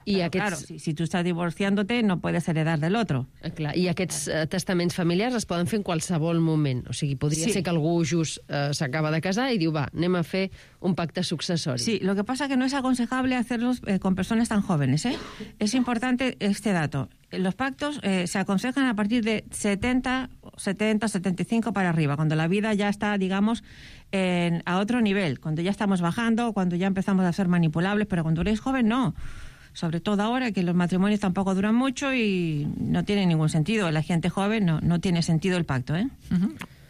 I claro, si tu estàs divorciant-te, no puedes heredar del otro. Clar, i aquests testaments familiars es poden fer en qualsevol moment. O sigui, podria ser que algú just s'acaba de casar y diu, va, anem a fer un pacte succesori. Sí, lo que pasa es que no es aconsejable hacerlos con personas tan jóvenes, ¿eh? Es importante este dato. Los pactos se aconsejan a partir de 70, 75 para arriba, cuando la vida ya está, digamos, a otro nivel, cuando ya estamos bajando, cuando ya empezamos a ser manipulables, pero cuando eres joven, no. Sobre todo ahora que los matrimonios tampoco duran mucho y no tiene ningún sentido. La gente joven no tiene sentido el pacto, ¿eh?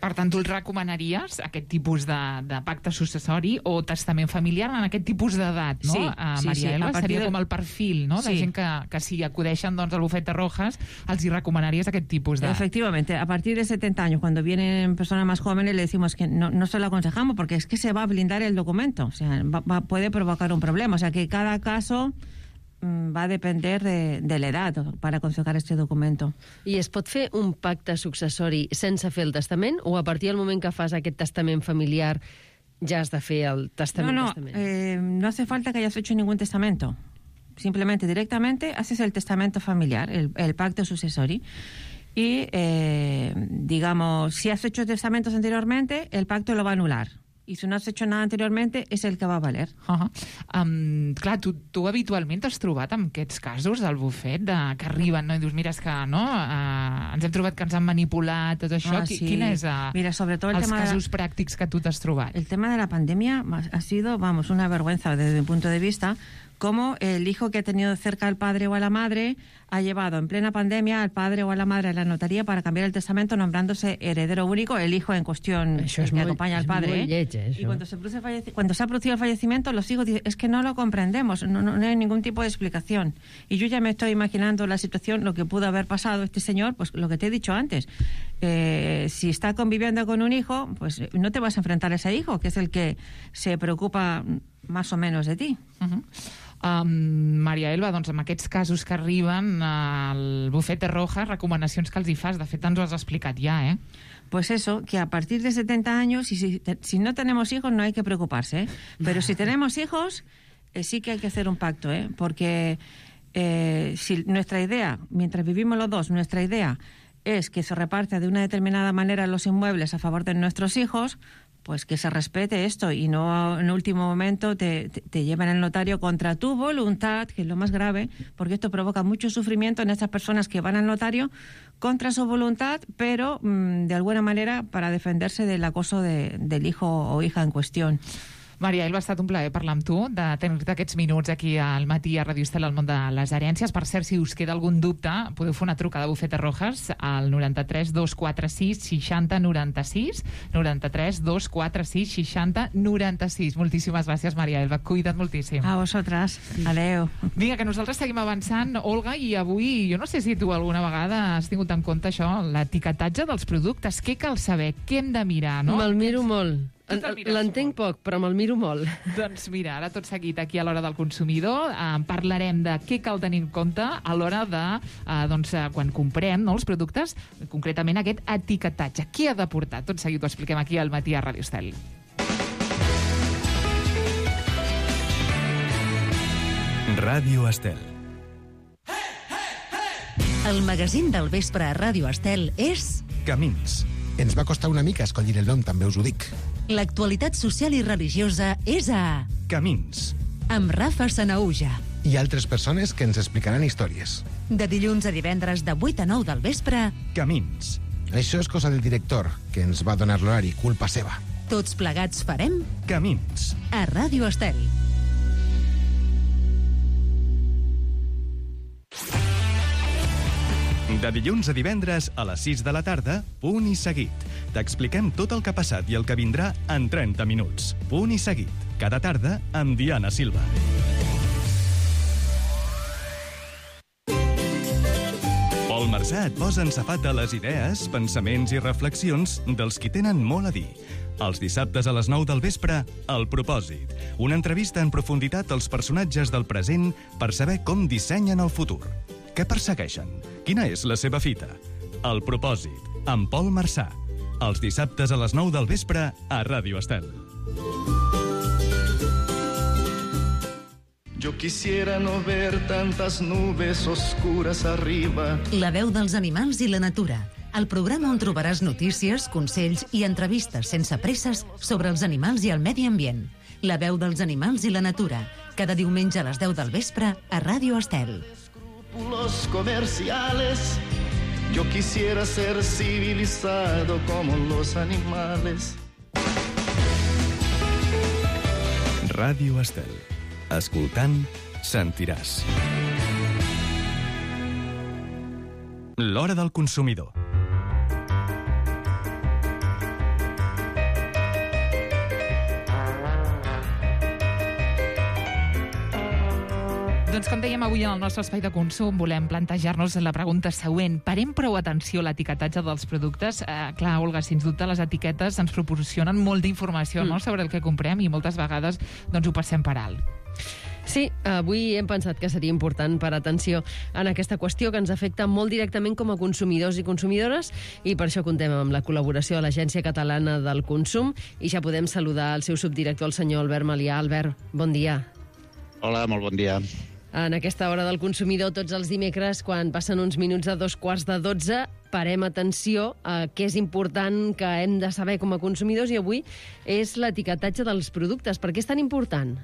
Per tant, tu el recomanaries, aquest tipus de pacte successori o testament familiar en aquest tipus d'edat, no? Sí, Maria Elba, seria com el perfil, no? De gent que si acudeixen al bufet de Rojas, els hi recomanaries aquest tipus de... Efectivamente, a partir de 70 años, cuando vienen personas más jóvenes, le decimos que no se lo aconsejamos porque es que se va a blindar el documento, o sea, puede provocar un problema, o sea, que cada caso va a depender de l'edat per aconsejar este documento. I es pot fer un pacte successori sense fer el testament o a partir del moment que fas aquest testament familiar ja has de fer el testament? No hace falta que hayas hecho ningún testamento. Simplemente, directamente, haces el testamento familiar, el pacto successori. Y, digamos, si has hecho testamentos anteriormente, el pacto lo va a anular. I si no has hecho nada anteriormente, és el que va a valer. Clar, tu habitualment t'has trobat amb aquests casos al bufet que arriben, no? I dius, mira, és que no, ens hem trobat que ens han manipulat, tot això. Quin és els casos pràctics que tu t'has trobat? El tema de la pandemia ha sido, vamos, una vergüenza desde mi punto de vista, como el hijo que ha tenido cerca al padre o a la madre ha llevado en plena pandemia al padre o a la madre a la notaría para cambiar el testamento nombrándose heredero único, el hijo en cuestión que acompaña al padre. Y cuando se ha producido el fallecimiento, los hijos dicen, es que no lo comprendemos, no hay ningún tipo de explicación. Y yo ya me estoy imaginando la situación, lo que pudo haber pasado este señor, pues lo que te he dicho antes. Si está conviviendo con un hijo, pues no te vas a enfrentar a ese hijo, que es el que se preocupa más o menos de ti. Maria Elba, doncs amb aquests casos que arriben al bufet de Rojas, recomanacions que els hi fas, de fet ens ho has explicat ja, ¿eh? Pues eso, que a partir de 70 años, y si no tenemos hijos no hay que preocuparse, ¿eh? Pero si tenemos hijos, sí que hay que hacer un pacto, ¿eh? Porque si nuestra idea, mientras vivimos los dos, nuestra idea es que se reparta de una determinada manera los inmuebles a favor de nuestros hijos, pues que se respete esto y no en último momento te lleven al notario contra tu voluntad, que es lo más grave, porque esto provoca mucho sufrimiento en estas personas que van al notario contra su voluntad, pero de alguna manera para defenderse del acoso del hijo o hija en cuestión. Maria Elba, ha estat un plaer parlar amb tu, de tenir-te aquests minuts aquí al matí a Ràdio Estel al món de les herències. Per cert, si us queda algun dubte, podeu fer una trucada a Bufet de Rojas al 93 246 60 96, 93 246 60 96. Moltíssimes gràcies, Maria Elba. Cuida't moltíssim. A vosaltres. Adeu. Vinga, que nosaltres seguim avançant, Olga, i avui, jo no sé si tu alguna vegada has tingut en compte això, l'etiquetatge dels productes. Què cal saber? Què hem de mirar, no? Me'l miro molt. L'entenc poc, però me'l miro molt. Doncs mira, ara tot seguit aquí a l'Hora del Consumidor parlarem de què cal tenir en compte a l'hora de, quan comprem els productes, concretament aquest etiquetatge. Què ha de portar? Tot seguit ho expliquem aquí al matí a Ràdio Estel. Ràdio Estel. El magazín del vespre a Ràdio Estel és... Camins. Ens va costar una mica escollir el nom, també us ho dic. L'actualitat social i religiosa és a... Camins. Amb Rafa Sanaúja. I altres persones que ens explicaran històries. De dilluns a divendres de 8 a 9 del vespre... Camins. Això és cosa del director, que ens va donar l'horari, culpa seva. Tots plegats farem... Camins. A Ràdio Estel. De dilluns a divendres a les 6 de la tarda, Punt i Seguit. T'expliquem tot el que ha passat i el que vindrà en 30 minuts. Punt i Seguit. Cada tarda amb Diana Silva. Pol Marsà et posa en safata les idees, pensaments i reflexions dels qui tenen molt a dir. Els dissabtes a les 9 del vespre, El Propòsit. Una entrevista en profunditat als personatges del present per saber com dissenyen el futur. Què persegueixen? Quina és la seva fita? El Propòsit, amb Pol Marsà. Els dissabtes a les 9 del vespre a Ràdio Estel. Yo quisiera no ver tantas nubes oscuras arriba. La veu dels animals i la natura. El programa on trobaràs notícies, consells i entrevistes sense presses sobre els animals i el medi ambient. La veu dels animals i la natura. Cada diumenge a les 10 del vespre a Ràdio Estel. Los comerciales. Yo quisiera ser civilizado como los animales. Ràdio Estel. Escoltant, sentiràs. L'hora del consumidor. Doncs com dèiem avui en el nostre espai de consum, volem plantejar-nos la pregunta següent. Parem prou atenció a l'etiquetatge dels productes? Clar, Olga, sens dubte les etiquetes ens proporcionen molt d'informació sobre el que comprem i moltes vegades doncs, ho passem per alt. Sí, avui hem pensat que seria important parar atenció en aquesta qüestió que ens afecta molt directament com a consumidors i consumidores i per això contem amb la col·laboració de l'Agència Catalana del Consum i ja podem saludar el seu subdirector, el senyor Albert Malià. Albert, bon dia. Hola, molt bon dia. En aquesta hora del consumidor, tots els dimecres, quan passen uns minuts a 11:45, parem atenció a què és important que hem de saber com a consumidors i avui és l'etiquetatge dels productes. Per què és tan important?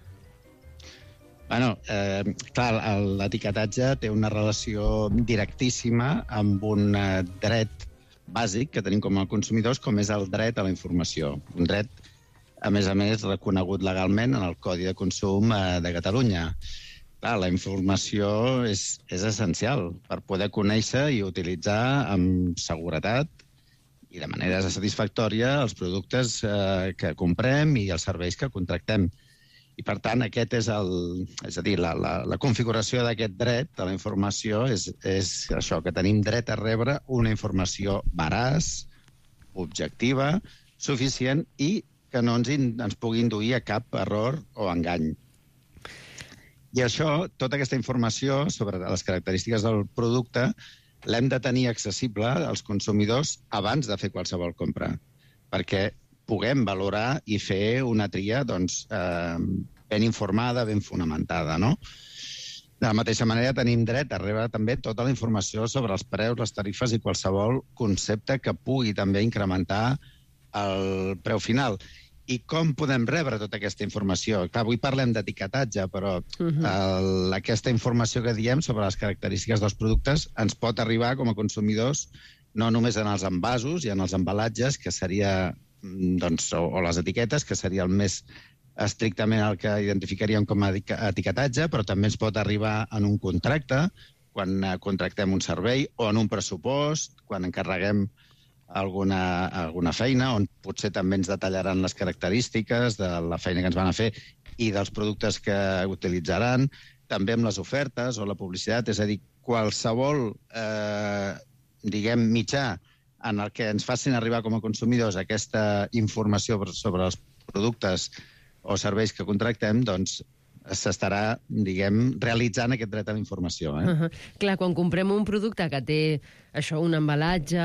Bueno, clar, l'etiquetatge té una relació directíssima amb un dret bàsic que tenim com a consumidors, com és el dret a la informació. Un dret, a més, reconegut legalment en el Codi de Consum de Catalunya. Clar, la informació és essencial per poder conèixer i utilitzar amb seguretat i de manera satisfactòria els productes que comprem i els serveis que contractem. I, per tant, aquest és la configuració d'aquest dret a la informació és això, que tenim dret a rebre una informació veraç, objectiva, suficient i que no ens pugui induir a cap error o engany. I això, tota aquesta informació sobre les característiques del producte l'hem de tenir accessible als consumidors abans de fer qualsevol compra, perquè puguem valorar i fer una tria ben informada, ben fonamentada, no? De la mateixa manera, tenim dret a rebre també tota la informació sobre els preus, les tarifes i qualsevol concepte que pugui també incrementar el preu final. I com podem rebre tota aquesta informació? Clar, avui parlem d'etiquetatge, però aquesta informació que diem sobre les característiques dels productes ens pot arribar com a consumidors no només en els envasos i en els embalatges, que seria, o les etiquetes, que seria el més estrictament el que identificaríem com a etiquetatge, però també ens pot arribar en un contracte, quan contractem un servei, o en un pressupost, quan encarreguem alguna feina, on potser també ens detallaran les característiques de la feina que ens van a fer i dels productes que utilitzaran, també amb les ofertes o la publicitat, és a dir, qualsevol mitjà en el que ens facin arribar com a consumidors aquesta informació sobre els productes o serveis que contractem, doncs s'estarà, realitzant aquest dret a la informació. Clar, quan comprem un producte que té això, un embalatge,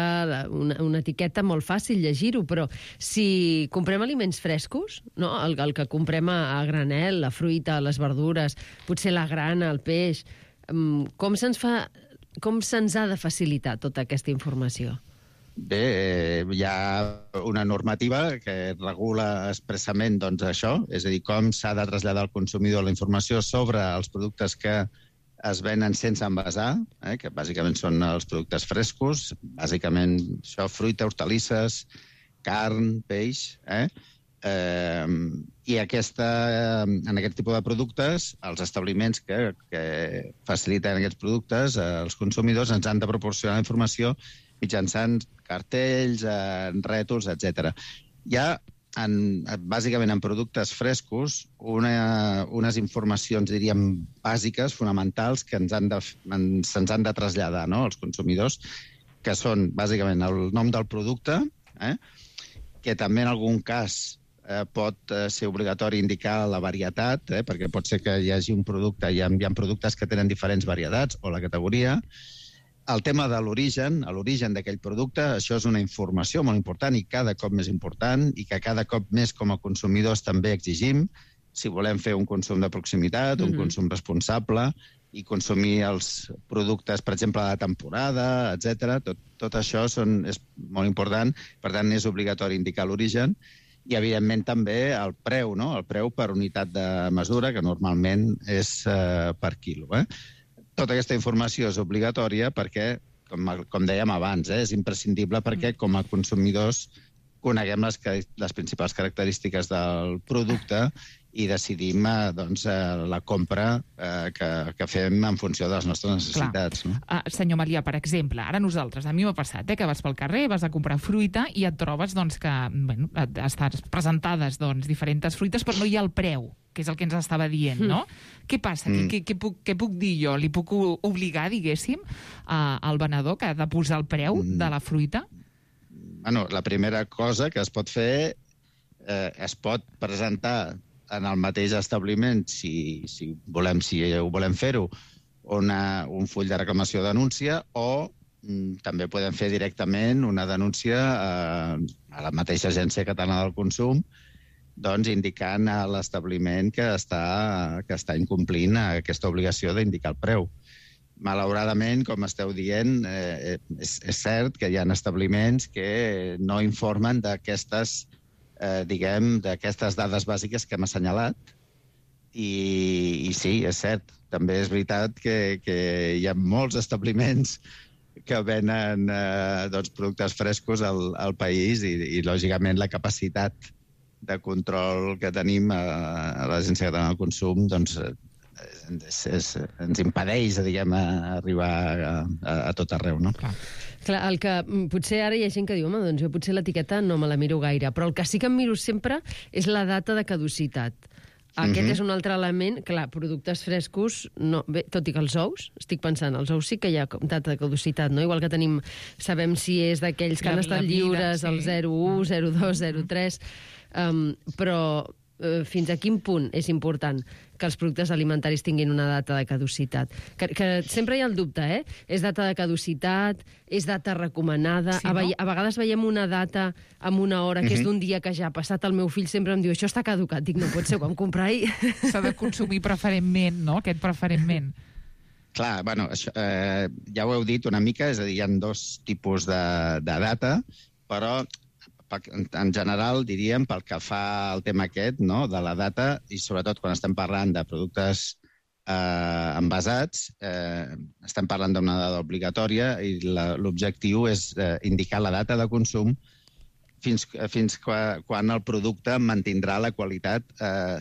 una etiqueta, molt fàcil llegir-ho, però si comprem aliments frescos, no? El que comprem a granel, la fruita, les verdures, potser la grana, el peix, com se'ns ha de facilitar tota aquesta informació? Bé, hi ha una normativa que regula expressament això, és a dir, com s'ha de traslladar al consumidor la informació sobre els productes que es venen sense envasar, que bàsicament són els productes frescos, bàsicament això, fruita, hortalisses, carn, peix, i en aquest tipus de productes, els establiments que faciliten aquests productes, els consumidors ens han de proporcionar informació mitjançant cartells, rètols, etc. Hi ha bàsicament en productes frescos, unes informacions, diríem, bàsiques, fonamentals, que se'ns han de traslladar, no?, als consumidors, que són, bàsicament, el nom del producte, que també en algun cas pot ser obligatori indicar la varietat, perquè pot ser que hi hagi un producte, hi ha productes que tenen diferents varietats, o la categoria. El tema de l'origen d'aquell producte, això és una informació molt important i cada cop més important, i que cada cop més com a consumidors també exigim, si volem fer un consum de proximitat, un consum responsable, i consumir els productes, per exemple, de temporada, etc. Tot això és molt important, per tant, és obligatori indicar l'origen, i, evidentment, també el preu, no?, el preu per unitat de mesura, que normalment és per quilo. Tota aquesta informació és obligatòria perquè, com dèiem abans, és imprescindible perquè, com a consumidors, coneguem les principals característiques del producte i decidim la compra que fem en funció de les nostres necessitats. No? Senyor Malià, per exemple, ara nosaltres, a mi m'ha passat que vas pel carrer, vas a comprar fruita i et trobes que estan presentades diferents fruites, però no hi ha el preu, que és el que ens estava dient, no? Què passa? Què puc dir jo? Li puc obligar, diguéssim, al venedor que ha de posar el preu de la fruita? Bueno, la primera cosa que es pot fer es pot presentar en el mateix establiment, si ho volem fer-ho, un full de reclamació o denúncia, o també podem fer directament una denúncia a la mateixa Agència Catalana del Consum, indicant a l'establiment que està incomplint aquesta obligació d'indicar el preu. Malauradament, com esteu dient, és cert que hi ha establiments que no informen d'aquestes dades bàsiques que hem assenyalat. I sí, és cert. També és veritat que hi ha molts establiments que venen productes frescos al país i, lògicament, la capacitat de control que tenim a l'Agència Catalana del Consum ens impedeix, arribar a tot arreu, no? Clar, el que potser ara hi ha gent que diu, home, doncs jo potser l'etiqueta no me la miro gaire, però el que sí que em miro sempre és la data de caducitat. Aquest és un altre element. Clar, productes frescos, no, bé, tot i que els ous, estic pensant, els ous sí que hi ha data de caducitat, no? Igual que sabem si és d'aquells que han estat lliures, el 01, 02, 03, però fins a quin punt és important que els productes alimentaris tinguin una data de caducitat? Que sempre hi ha el dubte, És data de caducitat, és data recomanada. Sí, no? A vegades veiem una data amb una hora que és d'un dia que ja ha passat. El meu fill sempre em diu, això està caducat. Dic, no pot ser, ho vam comprar ahir. S'ha de consumir preferentment, no?, aquest preferentment. Clar, bueno, això, ja ho heu dit una mica, és a dir, hi ha dos tipus de data, però en general, diríem, pel que fa al tema aquest, no?, de la data, i sobretot quan estem parlant de productes envasats, estem parlant d'una data obligatòria i l'objectiu és indicar la data de consum fins quan el producte mantindrà la qualitat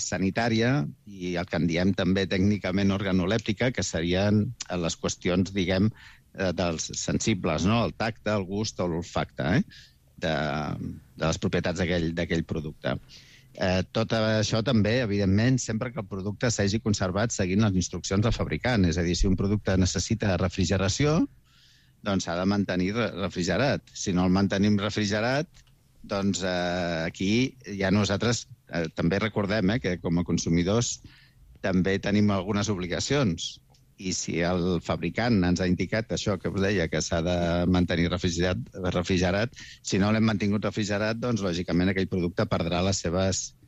sanitària i el que en diem també tècnicament organolèptica, que serien les qüestions, diguem, dels sensibles, no?, el tacte, el gust o l'olfacte, de les propietats d'aquell producte. Tot això també, evidentment, sempre que el producte s'hagi conservat seguint les instruccions del fabricant. És a dir, si un producte necessita refrigeració, doncs s'ha de mantenir refrigerat. Si no el mantenim refrigerat, doncs aquí ja nosaltres també recordem que com a consumidors també tenim algunes obligacions. I si el fabricant ens ha indicat això que us deia, que s'ha de mantenir refrigerat, si no l'hem mantingut refrigerat, doncs, lògicament, aquell producte perdrà les seves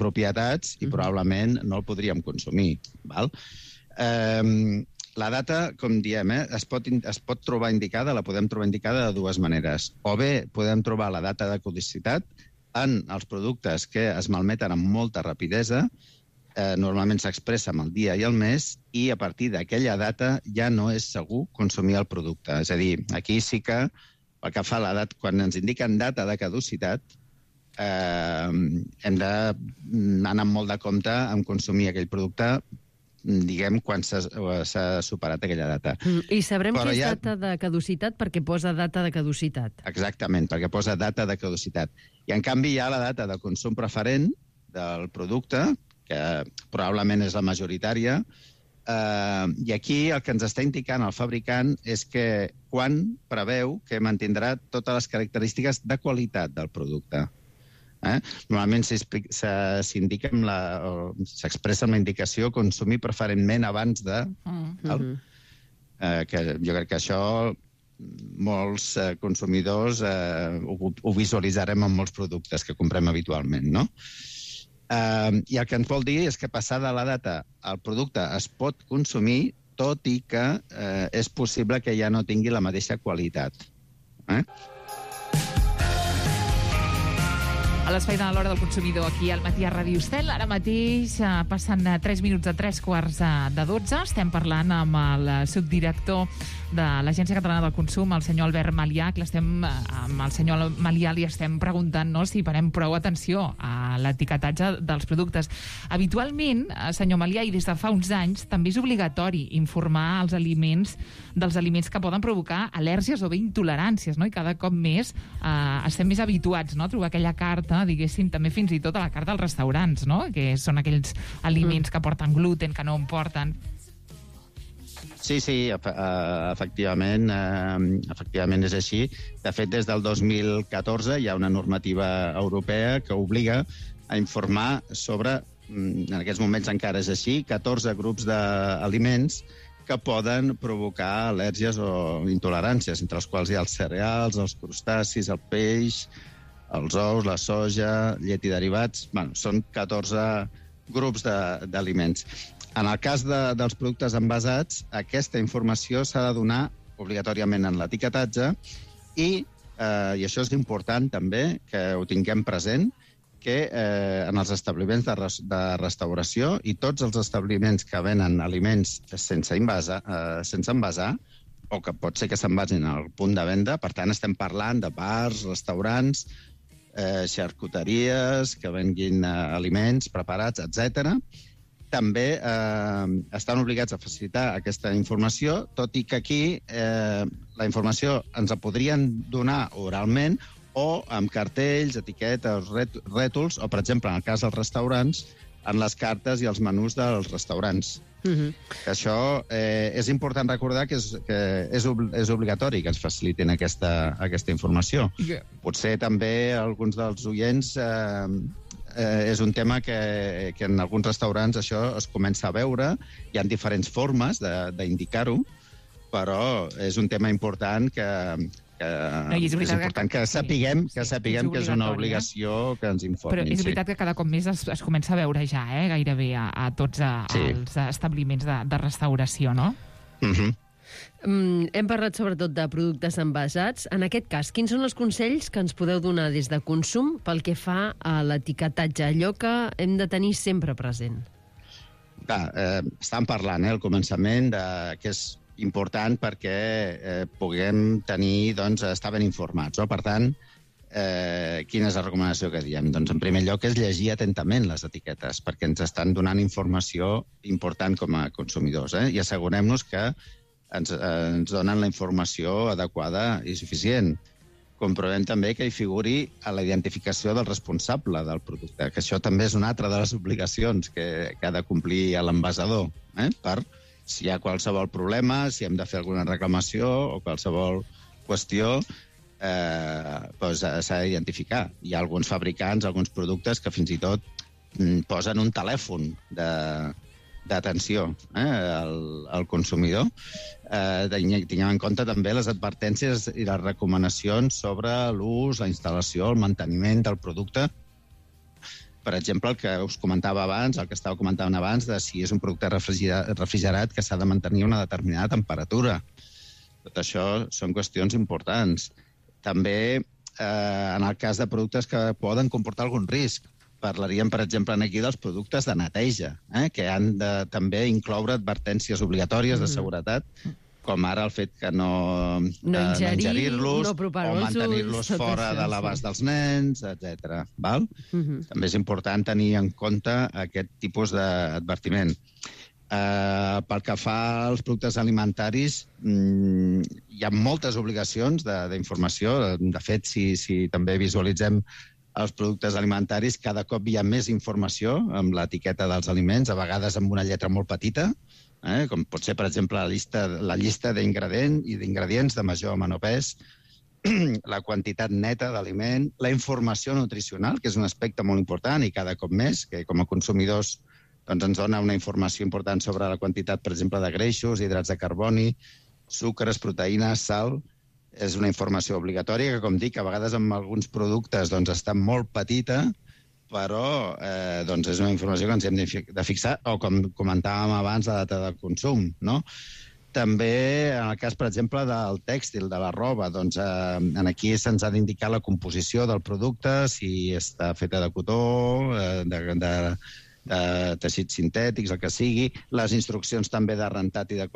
propietats i probablement no el podríem consumir. Val? La data, com diem, es pot trobar indicada, la podem trobar indicada de dues maneres. O bé podem trobar la data de caducitat en els productes que es malmeten amb molta rapidesa, normalment s'expressa amb el dia i el mes, i a partir d'aquella data ja no és segur consumir el producte. És a dir, aquí sí que, pel que fa a l'edat, quan ens indiquen data de caducitat, hem d'anar amb molt de compte en consumir aquell producte diguem, quan s'ha superat aquella data. I sabrem que és data de caducitat perquè posa data de caducitat. Exactament, perquè posa data de caducitat. I, en canvi, hi ha la data de consum preferent del producte, que probablement és la majoritària, i aquí el que ens està indicant el fabricant és que quan preveu que mantindrà totes les característiques de qualitat del producte. Normalment s'indica s'expressa amb la indicació consumir preferentment abans de... que jo crec que això molts consumidors ho visualitzarem en molts productes que comprem habitualment, no? I el que ens vol dir és que passada la data el producte es pot consumir, tot i que és possible que ja no tingui la mateixa qualitat. A l'espai de l'hora del consumidor aquí al Matí a Ràdio Estel. Ara mateix passen 3 minuts a 3:45. Estem parlant amb el subdirector de l'Agència Catalana del Consum, el senyor Albert Malià, que amb el senyor Malià li estem preguntant si parem prou atenció a l'etiquetatge dels productes. Habitualment, senyor Malià, i des de fa uns anys, també és obligatori informar dels aliments que poden provocar al·lèrgies o bé intoleràncies, no? I cada cop més estem més habituats, no?, a trobar aquella carta, diguéssim, també fins i tot a la carta dels restaurants, no?, que són aquells aliments que porten gluten, que no en porten. Sí, efectivament és així. De fet, des del 2014 hi ha una normativa europea que obliga a informar sobre, en aquests moments encara és així, 14 grups d'aliments que poden provocar al·lèrgies o intoleràncies, entre els quals hi ha els cereals, els crustacis, el peix, els ous, la soja, llet i derivats. Bueno, són 14 grups d'aliments. En el cas dels productes envasats, aquesta informació s'ha de donar obligatòriament en l'etiquetatge i això és important també que ho tinguem present, que en els establiments de restauració i tots els establiments que venen aliments sense envasar, o que pot ser que s'envasin al punt de venda, per tant estem parlant de bars, restaurants, xarcuteries que venguin aliments preparats, etc., també estan obligats a facilitar aquesta informació, tot i que aquí la informació ens la podrien donar oralment o amb cartells, etiquetes, rètols, o, per exemple, en el cas dels restaurants, en les cartes i els menús dels restaurants. Això és important recordar que és obligatori que ens facilitin aquesta informació. Potser també alguns dels oients... és un tema que en alguns restaurants això es comença a veure. Hi ha diferents formes d'indicar-ho, però és un tema important que sapiguem que és una obligació que ens informin. Però és veritat que cada cop més es comença a veure ja, gairebé a tots els establiments de restauració, no? Hem parlat sobretot de productes envasats. En aquest cas, quins són els consells que ens podeu donar des de Consum pel que fa a l'etiquetatge, allò que hem de tenir sempre present? Estàvem parlant al començament que és important perquè puguem tenir, estar ben informats. Per tant, quina és la recomanació que diem? Doncs, en primer lloc, és llegir atentament les etiquetes, perquè ens estan donant informació important com a consumidors, i assegurem-nos que ens donen la informació adequada i suficient. Comprovem també que hi figuri a la identificació del responsable del producte, que això també és una altra de les obligacions que ha de complir l'envasador, per si hi ha qualsevol problema, si hem de fer alguna reclamació o qualsevol qüestió, s'ha d'identificar. Hi ha alguns fabricants, alguns productes que fins i tot posen un telèfon d'atenció al consumidor. Tinguem en compte també les advertències i les recomanacions sobre l'ús, la instal·lació, el manteniment del producte. Per exemple, el que us comentava abans, el que estava comentant abans, de si és un producte refrigerat que s'ha de mantenir una determinada temperatura. Tot això són qüestions importants. També en el cas de productes que poden comportar algun risc. Parlaríem, per exemple, aquí dels productes de neteja, que han de també incloure advertències obligatòries de seguretat, com ara el fet que no ingerir-los o mantenir-los fora de l'abast dels nens, etc. També és important tenir en compte aquest tipus d'advertiment. Pel que fa als productes alimentaris, hi ha moltes obligacions d'informació. De fet, si també visualitzem els productes alimentaris, cada cop hi ha més informació amb l'etiqueta dels aliments, a vegades amb una lletra molt petita, com pot ser, per exemple, la llista d'ingredients de major o menor pes, la quantitat neta d'aliment, la informació nutricional, que és un aspecte molt important i cada cop més, que com a consumidors doncs ens dona una informació important sobre la quantitat, per exemple, de greixos, hidrats de carboni, sucres, proteïnes, sal. És una informació obligatòria que, com dic, a vegades amb alguns productes doncs, està molt petita, però doncs és una informació que ens hem de fixar, o com comentàvem abans, la data de consum, no? També, en el cas, per exemple, del tèxtil, de la roba, doncs aquí se'ns ha d'indicar la composició del producte, si està feta de cotó, de teixits sintètics, el que sigui, les instruccions també de rentat i de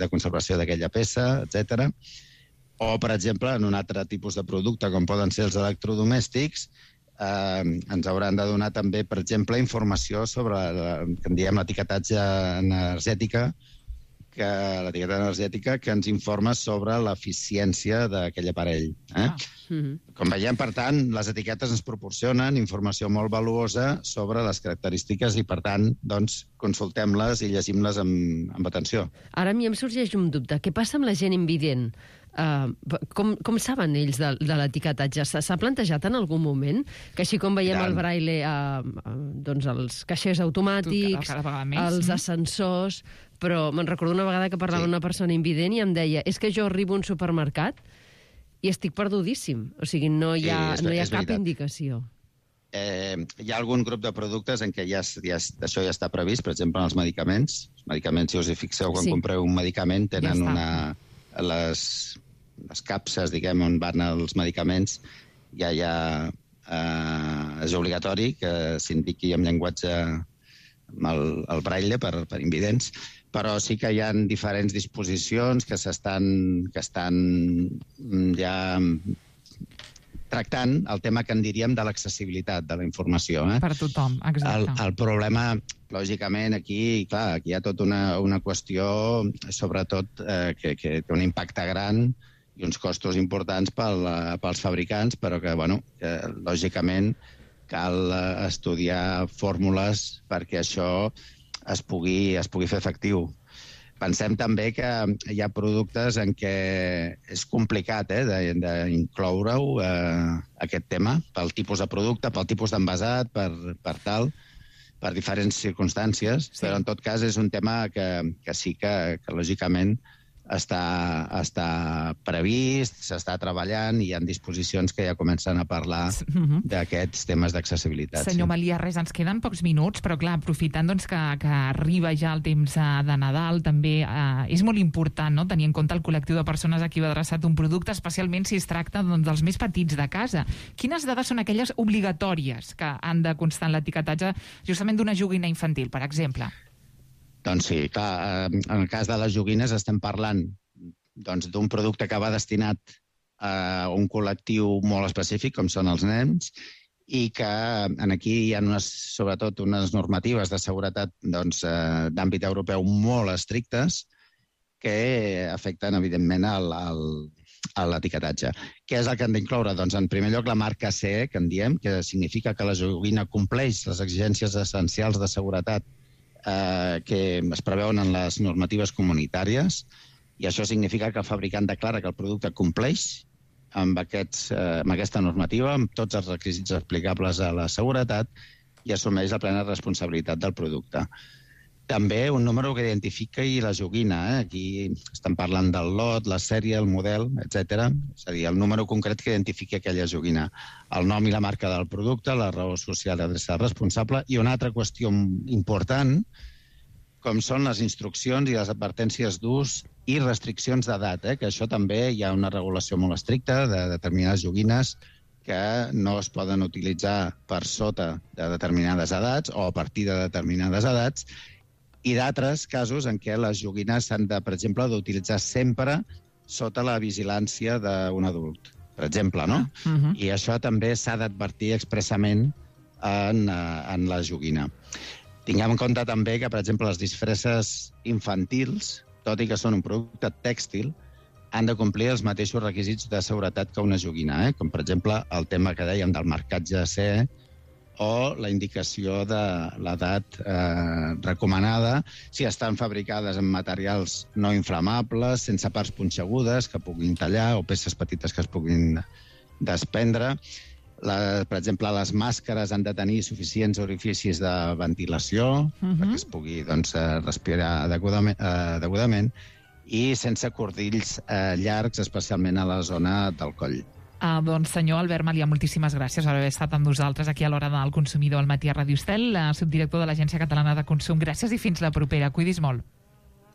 conservació d'aquella peça, etc. O, per exemple, en un altre tipus de producte, com poden ser els electrodomèstics, ens hauran de donar també, per exemple, informació sobre, que en diem l'etiquetatge energètica, l'etiqueta energètica que ens informa sobre l'eficiència d'aquell aparell. Com veiem, per tant, les etiquetes ens proporcionen informació molt valuosa sobre les característiques i, per tant, doncs, consultem-les i llegim-les amb atenció. Ara a mi em sorgeix un dubte. Què passa amb la gent invident? Com saben ells de l'etiquetatge? S'ha plantejat en algun moment que així com veiem el braille doncs els caixers automàtics, els ascensors, però me'n recordo una vegada que parlava una persona invident i em deia és que jo arribo a un supermercat i estic perdudíssim, o sigui, no hi ha cap indicació. Hi ha algun grup de productes en què això ja està previst, per exemple, en els medicaments. Els medicaments, si us hi fixeu, quan compreu un medicament, tenen les capses, diguem, on van els medicaments, ja és obligatori que s'indiqui en llenguatge el braille per invidents, però sí que hi ha diferents disposicions que estan ja tractant el tema que en diríem de l'accessibilitat de la informació. Per tothom, exacte. El problema, lògicament, aquí hi ha tota una qüestió, sobretot, que té un impacte gran i uns costos importants pels fabricants, però que, lògicament, cal estudiar fórmules perquè això es pugui fer efectiu. Pensem també que hi ha productes en què és complicat d'incloure-ho, aquest tema, pel tipus de producte, pel tipus d'envasat, per diferents circumstàncies, però en tot cas és un tema que sí que lògicament està previst, s'està treballant i hi ha disposicions que ja comencen a parlar d'aquests temes d'accessibilitat. Senyor Melià, ens queden pocs minuts, però clar, aprofitant que arriba ja el temps de Nadal, també és molt important tenir en compte el col·lectiu de persones a qui va adreçat un producte, especialment si es tracta dels més petits de casa. Quines dades són aquelles obligatòries que han de constar en l'etiquetatge justament d'una joguina infantil, per exemple? Doncs sí, clar, en el cas de les joguines estem parlant d'un producte que va destinat a un col·lectiu molt específic, com són els nens, i que aquí hi ha sobretot unes normatives de seguretat d'àmbit europeu molt estrictes que afecten, evidentment, a l'etiquetatge. Què és el que han d'incloure? Doncs, en primer lloc, la marca CE, que en diem, que significa que la joguina compleix les exigències essencials de seguretat que es preveuen en les normatives comunitàries, i això significa que el fabricant declara que el producte compleix amb aquesta normativa, amb tots els requisits aplicables a la seguretat, i assumeix la plena responsabilitat del producte. També un número que identifiqui la joguina. Aquí estem parlant del lot, la sèrie, el model, etc. És a dir, el número concret que identifiqui aquella joguina. El nom i la marca del producte, la raó social d'adreça responsable, i una altra qüestió important, com són les instruccions i les advertències d'ús i restriccions d'edat, que això també hi ha una regulació molt estricta de determinades joguines que no es poden utilitzar per sota de determinades edats o a partir de determinades edats, i d'altres casos en què les joguines s'han de, per exemple, d'utilitzar sempre sota la vigilància d'un adult, per exemple, no? I això també s'ha d'advertir expressament en la joguina. Tinguem en compte també que, per exemple, les disfresses infantils, tot i que són un producte tèxtil, han de complir els mateixos requisits de seguretat que una joguina, com per exemple el tema que dèiem del marcatge CE o la indicació de l'edat recomanada si estan fabricades en materials no inflamables, sense parts punxegudes que puguin tallar o peces petites que es puguin desprendre. Per exemple, les màscares han de tenir suficients orificis de ventilació perquè es pugui respirar degudament i sense cordills llargs, especialment a la zona del coll. Doncs, senyor Albert Malià, moltíssimes gràcies per haver estat amb nosaltres aquí a l'Hora del Consumidor al matí a Ràdio Estel, subdirector de l'Agència Catalana de Consum. Gràcies i fins la propera. Cuidis molt.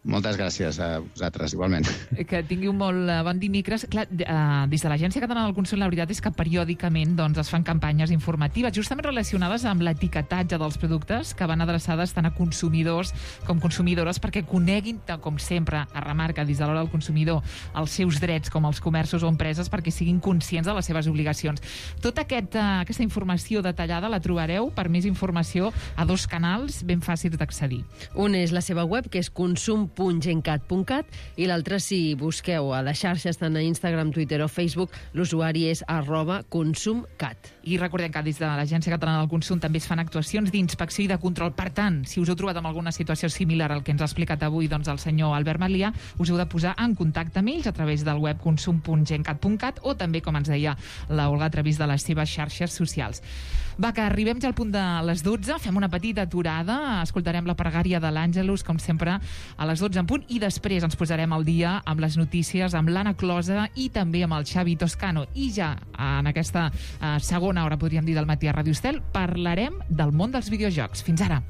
Moltes gràcies a vosaltres, igualment. Que tingui un molt bon dimecres. Clar, des de l'Agència Catalana del Consum, la veritat és que periòdicament es fan campanyes informatives justament relacionades amb l'etiquetatge dels productes que van adreçades tant a consumidors com consumidores perquè coneguin, com sempre es remarca des de l'Hora del Consumidor, els seus drets com els comerços o empreses perquè siguin conscients de les seves obligacions. Tota aquesta informació detallada la trobareu per més informació a 2 canals ben fàcils d'accedir. Un és la seva web, que és consum.gencat.cat, i l'altre, si busqueu a les xarxes, tant a Instagram, Twitter o Facebook, l'usuari és @consumcat. I recordem que des de l'Agència Catalana del Consum també es fan actuacions d'inspecció i de control. Per tant, si us heu trobat en alguna situació similar al que ens ha explicat avui el senyor Albert Malià, us heu de posar en contacte amb ells a través del web consum.gencat.cat o també, com ens deia l'Olga, a través de les seves xarxes socials. Va, que arribem ja al punt de les 12, fem una petita aturada, escoltarem la pregària de l'Àngelus, com sempre, a les 12 en punt, i després ens posarem al dia amb les notícies, amb l'Anna Closa i també amb el Xavi Toscano. I ja en aquesta segona hora, podríem dir, del matí a Ràdio Estel, parlarem del món dels videojocs. Fins ara.